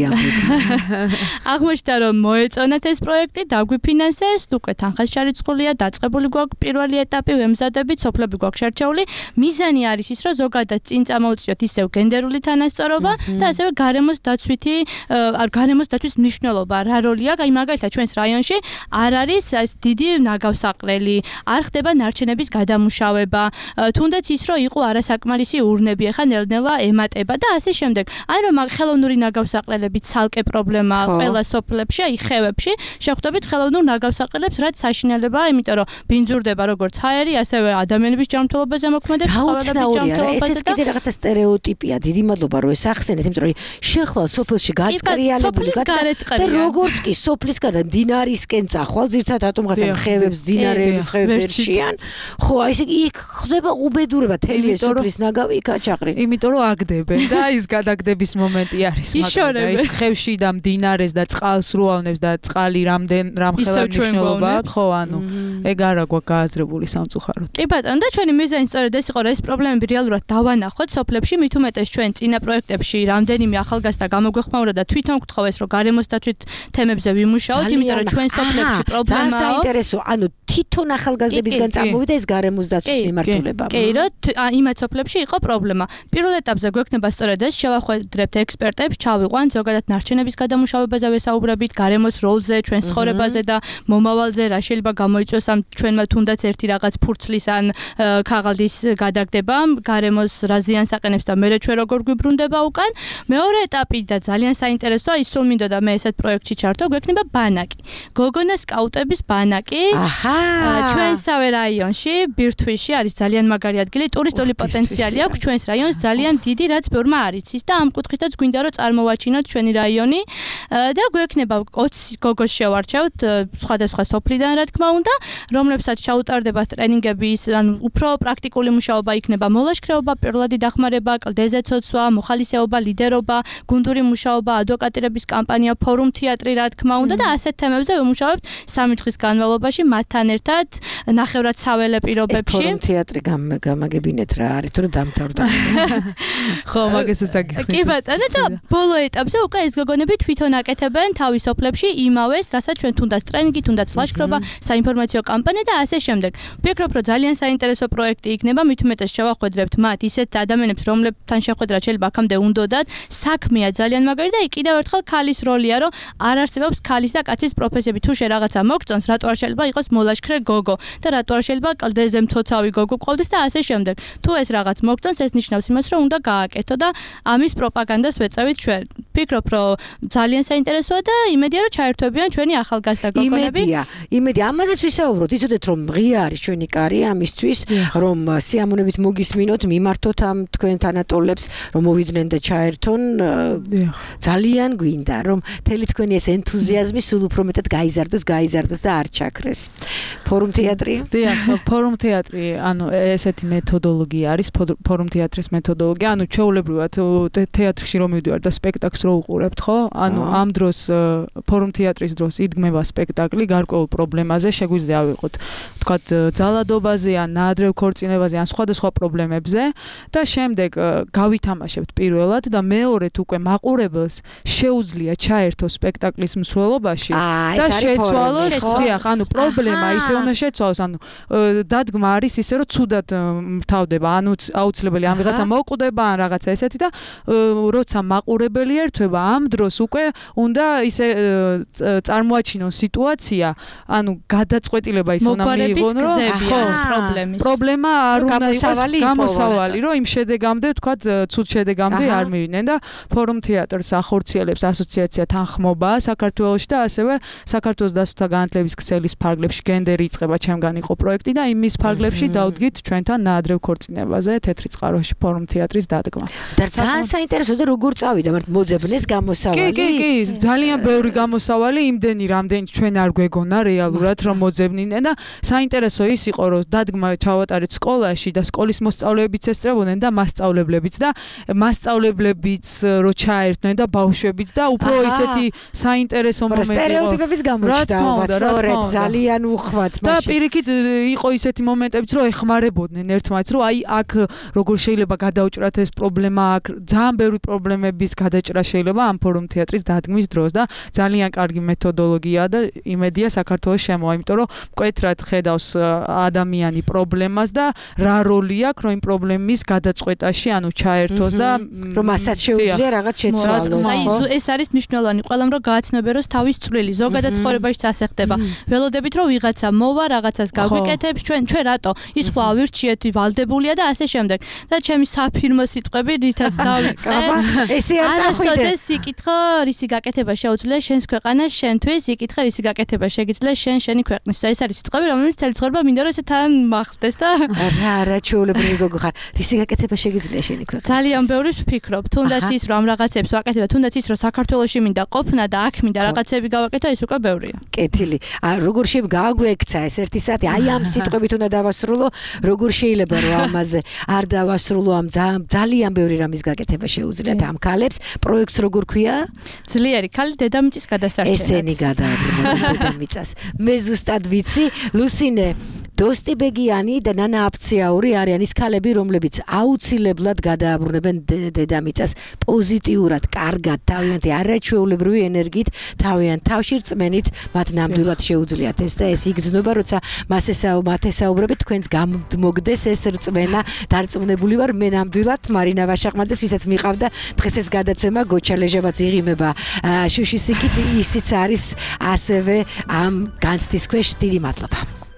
აღმოჩნდა რომ მოეწონათ ეს პროექტი, დაგვიფინანსეს, უკვე თანხას ჩარიცხულია, დაწყებული გვაქვს პირველი ეტაპი, ემზადებით, სოფლები გვაქვს შერჩეული. მიზანი არის ის, რომ ზოგადად წინ წამოუწიოთ ისევ გენდერული თანასწორობა და ასევე გარემოს დაცვის მნიშვნელობა, რა როლი აქვს, აი მაგალითად ჩვენს რაიონში არ არის დიდი ნაგავსაყრელი, არ ხდება ნარჩენების გადამუშავება, თუნდაც ის რომ იყო არასაკმარისი ურნები, ახლა ნელ-ნელა ემატება და ასე შემდეგ. აი რომ ხელოვნური ნაგავსაყრელები ცალკე პრობლემაა ყველა სოფლებში, აი ხევებში, შეხვდებით ხელოვნურ ნაგავსაყრელებს, რაც საშინელებაა, იმიტომ რომ ბინძურდება როგორც ჰაერი, ასევე ადამიანების ჯანმრთელობაზე მოქმედებს, ცხოველების ჯანმრთელობაზე და ეს კიდე რაღაცა სტერეოტიპია, დიდი მადლობა რომ ეს ახსენეთ, იმიტომ რომ შეხვალ სოფელში გაწყრიალებული და როგორც კი სოფლის გარდა დინარისკენ წახვალ, ზირთად რატომღაცა ხევებს, დინარეების ხევებს ერჩიან, ხო, აი ესე იქ ხდება უბედურება, თელი ეს სოფლის ნაგავი იქა ჩაყრილი. იმიტომ რომ აგდებენ და ის გადაგდების მომენტი არის, მაგრამ ის ხევში და მდინარეს და წყალს რუავნებს და წყალი რამხელა მნიშვნელობა აქვს, ხო, ანუ ეგ არა გვაქვს გააზრებული სამწუხაროდ. კი ბატონო, და ჩვენი მიზანი სწორედ ეს იყო, რომ ეს პრობლემები რეალურად დავანახოთ სოფლებში, მით უმეტეს ჩვენ წინა პროექტებში რამდენიმე ახალგაზრდა გამოგვეხმაურა და თვითონ გვთხოვეს, რომ გარემოს დაცვით თემებზე ვიმუშაოთ, იმიტომ რომ ჩვენ სოფლებში პრობლემაა. საინტერესო, ანუ თვითონ ახალგაზრდებისგან წამოვიდა ეს გარემოს დაცვის მიმართულება. კი, რომ იმათ სოფლებში იყო პრობლემა. პირველ ეტაპზე გვექნება სწორედ ეს, შევახვედრებთ ექსპერტებს, ჩავიყვანთ ზოგადად ნარჩენების გადამუშავებაზე ვესაუბრებით, გარემოს როლზე, ჩვენს ცხოვრებაზე და მომავალზე, რა შეიძლება გამოიწვიოს ამ ჩვენმა თუნდაც ერთი რაღაც ფურცლის ან ქაღალდის გადაგდება, გარემოს რა ზიანს აყენებს და მერე ჩვენ როგორ გვიბრუნდება უკან. მეორე ეტაპი და ძალიან საინტერესოა, ის სულ მინდოდა მე ესეთ პროექტში ჩართო, გვექნება ბანაკი. გოგონა სკაუტების ბანაკი. ჩვენსავე რაიონში, ბირთვისში არის ძალიან მაგარი ადგილი, ტურისტული პოტენციალი აქვს ჩვენს რაიონს ძალიან დიდი, რაც ბევრმა არ იცის და ამ კუთხითაც გვინდა რომ წარმოვაჩინოთ ჩვენი რაიონი და გვექნება 20 გოგოს შევარჩევთ სხვადასხვა სოფლიდან, რა თქმა უნდა, რომლებსაც ჩაუტარდებათ ტრენინგები, ანუ უფრო პრაქტიკული მუშაობა იქნება, მოლაშქრეობა, პირველადი დახმარება, კლდეზე ცოცვა, მოხალისეობა, ლიდერობა, გუნდური მუშაობა, ადვოკატირების კამპანია, ფორუმ თეატრი, რა თქმა უნდა და ასეთ თემებზე ვიმუშავებთ 3 დღის განმავლობაში მათთან ერთად ნახევრად საველე პირობებში. ფორუმ თეატრი გამაგებინეთ რა არის, თუ დამთავრდა. ხო, მაგასაც აგიხსნით. კი ბატონო, და ბოლო ეტაპზე უკვე ეს გოგონები თვითონ აკეთებენ თავის სოფლებში იმავეს, რასაც ჩვენ თუნდაც ტრენინგი, თუნდაც ლაშქრობა, საინფორმაციო კამპანია და ასე შემდეგ. ვფიქრობ, რომ ძალიან საინტერესო პროექტი იქნება, მით უმეტეს შევახვედრებთ მათ ისეთ ადამიანებს, რომლებთან შეხვედრა შეიძლება აქამდე უნდოდათ, საქმეა ძალიან მაგარი და კიდევ ერთხელ ქალის როლია, რომ არ არსებობს ქალის და კაცის პროფესიები. თუ შე რაღაცა მოგწონს, რატო არ შეიძლება იყოს მოლაშქრე გოგო და რატო არ შეიძლება კლდეზე მცოცავი გოგო გყავდეს და ასე შემდეგ. თუ ეს რაღაც მოგწონს, ეს ნიშნავს იმას, რომ უნდა გააკეთო და ამის პროპაგანდას ვეწევით ჩვენ. ვფიქრობ, რომ ძალიან საინტერესოა და იმედია, რომ ჩაერთვებიან ჩვენი ახალგაზრდა გოგონები. იმედია, ამაზეც ვისაუბროთ, იცოდეთ, რომ ღია არის ჩვენი კარი ამისთვის, რომ სიამოვნებით მოგისმინოთ, მიმართოთ ამ თქვენ თანატოლებს, რომ მოვიდნენ და ჩაერთონ. ძალიან გვინდა, რომ მთელი თქვენი ეს ენთუზიაზმი სულ უფრო მეტად გაიზარდოს და არ ჩაქრეს. ფორუმ თეატრი? დიახ, ფორუმ თეატრი, ანუ ესეთი მეთოდოლოგია არის, ფორუმ თეატრის მეთოდოლოგია, ანუ ჩვეულებრივად თეატრში რომ მივდივართ და სპექტაკლს რო უყურებთ, ხო? ანუ ამ დროს ფორუმ თეატრის დროს იდგმება სპექტაკლი გარკვეულ პრობლემაზე, შეგვიძლია ავიღოთ, თქვათ, ძალადობაზე ან ნაადრევ ქორწინებაზე ან სხვადასხვა პრობლემებზე და შემდეგ გავითამაშებთ პირველად და მეორედ უკვე მაყურებელს შეუძლია ჩაერთო სპექტაკლის მსვლელობაში და შეცვალოს, დიახ, ანუ პრობლემა ისე უნდა შეცვალოს, ანუ დადგმა არის ისე, რომ ცუდად მთავრდება, ანუ აუცილებელი ამ ვიღაცა მოკვდება ან რაღაცა ესეთი და როცა მაყურებელი ერთვება, ამ დროს უკვე უნდა ისე წარმოაჩინონ სიტუაცია, ანუ გადაწყვეტილება ისე უნდა მიიღონ, რომ პრობლემა არ უნდა იყოს გამოსავალი, რომ იმ შედეგამდე, თქვათ, ცუდ შედეგამდე არ მივიდნენ და ფორუმ თეატრს ახორციელებს ასოციაცია თანხმობა საქართველოში და ასევე საქართველოს დასვთა განათლების ქსელის ფარგლებში გენდერი იწყება ჩემგან იყო პროექტი და იმის ფარგლებში დავდგით ჩვენთან ნაადრევ ქორწინებაზე თეთრი წყაროში ფორუმ თეატრის დადგმა. და ძალიან საინტერესო და როგორ წავიდა, მაგრამ მოძებნეს გამოსავალი. კი, ძალიან ბევრი გამოსავალი, იმდენი რამდენი ჩვენ არ გვეგონა რეალურად რომ მოძებნიდნენ და საინტერესო ის იყო, რომ დადგმა ჩავატარეთ სკოლაში და სკოლის მოსწავლეებიც ესწრებოდნენ და მასწავლებლებიც და მასწავლებლებიც რო ჩაერთნენ და ბავშვებიც და უფრო ისეთი საინტერესო მომენტი იყო. სტერეოტიპების გამოჩნდა, სწორედ, ძალიან უხვად და პირიქით იყო ისეთი მომენტებიც, რომ ეხმარებოდნენ ერთმანეთს, რომ აი აქ როგორ შეიძლება გადაუჭრათ ეს პრობლემა, აქ ძალიან ბევრი პრობლემების გადაჭრა შეიძლება ამ ფორუმ თეატრის დადგმის დროს და ძალიან კარგი მეთოდოლოგია და იმედია საქართველოს შემოვა, იმიტომ რომ მკვეთრად ხედავს ადამიანი პრობლემას და რა როლი აქვს რომ იმ პრობლემის გადაწყვეტაში ანუ ჩაერთოს და რომ მასაც შეუძლია რაღაც შეცვალოს. აი ეს არის მნიშვნელოვანი ყველამ რომ გააცნობიეროს თავის წვლილი ზოგადად ცხოვრებაში ასე ხდება. ველოდებით რომ ვიღაცა მოვა რაღაცას გაგვიკეთებს ჩვენ რატო ის ხო ავირჩიეთ ვალდებულია და ასე შემდეგ და ჩემი საფირმო სიტყვები რითაც დავიწყე ესე არ წახვიდე ეს იკითხო რისი გაკეთება შეუძლია შენს ქვეყანას შენთვის იკითხე რისი გაკეთება შეგიძლია შენი ქვეყნის ეს არის სიტყვები რომელიც თელი ცხოვრება მინდა რომ ესე თან მახდეს და რა ჩაოლებრივი გოგო ხარ რისი გაკეთება შეგიძლია შენი ქვეყნის ძალიან ბევრი ვფიქრობ თუნდაც ის რომ ამ რაღაცებს ვაკეთებ თუნდაც ის რომ საქართველოში მინდა ყოფნა და აქ მინდა რაღაცები გავაკეთო ეს უკვე ბევრია კეთილი როგორ გააგვექცა ეს ერთი საათი აი ამ სიტყვებით უნდა დავასრულო როგორ შეიძლება რომ ამაზე არ დავასრულო ამ ძალიან ბევრი რამის გაკეთება შეუძლიათ ამ ქალებს პროექტს როგორ ქვია ძლიერი ქალი დედამიწის გადასარჩენად ესენი გადააბრუნა დედამიწას მე ზუსტად ვიცი ლუსინე დოსტიბეგიანი და ნანა აფციაური არიან ის ქალები რომლებიც აუცილებლად გადააბრუნებენ დედამიწას პოზიტიურად კარგად თავიანთი არაჩვეულებრივი ენერგიით თავიანთ თავში რწმენით მათ ნამდვილად შეუძლიათ ეს და ეს იგრძნობა როცა მათ ესაუბრებით თქვენს გამოგდეს ეს რწმენა დარწმუნებული ვარ მე ნამდვილად მარინა ვაშაყმაძეს ვისაც მიყავდა დღეს ეს გადაცემა გოჩალეჟებაც იღიმება შუშის იქით ისიც არის ასევე ამ განცდის ქვეშ დიდი მადლობა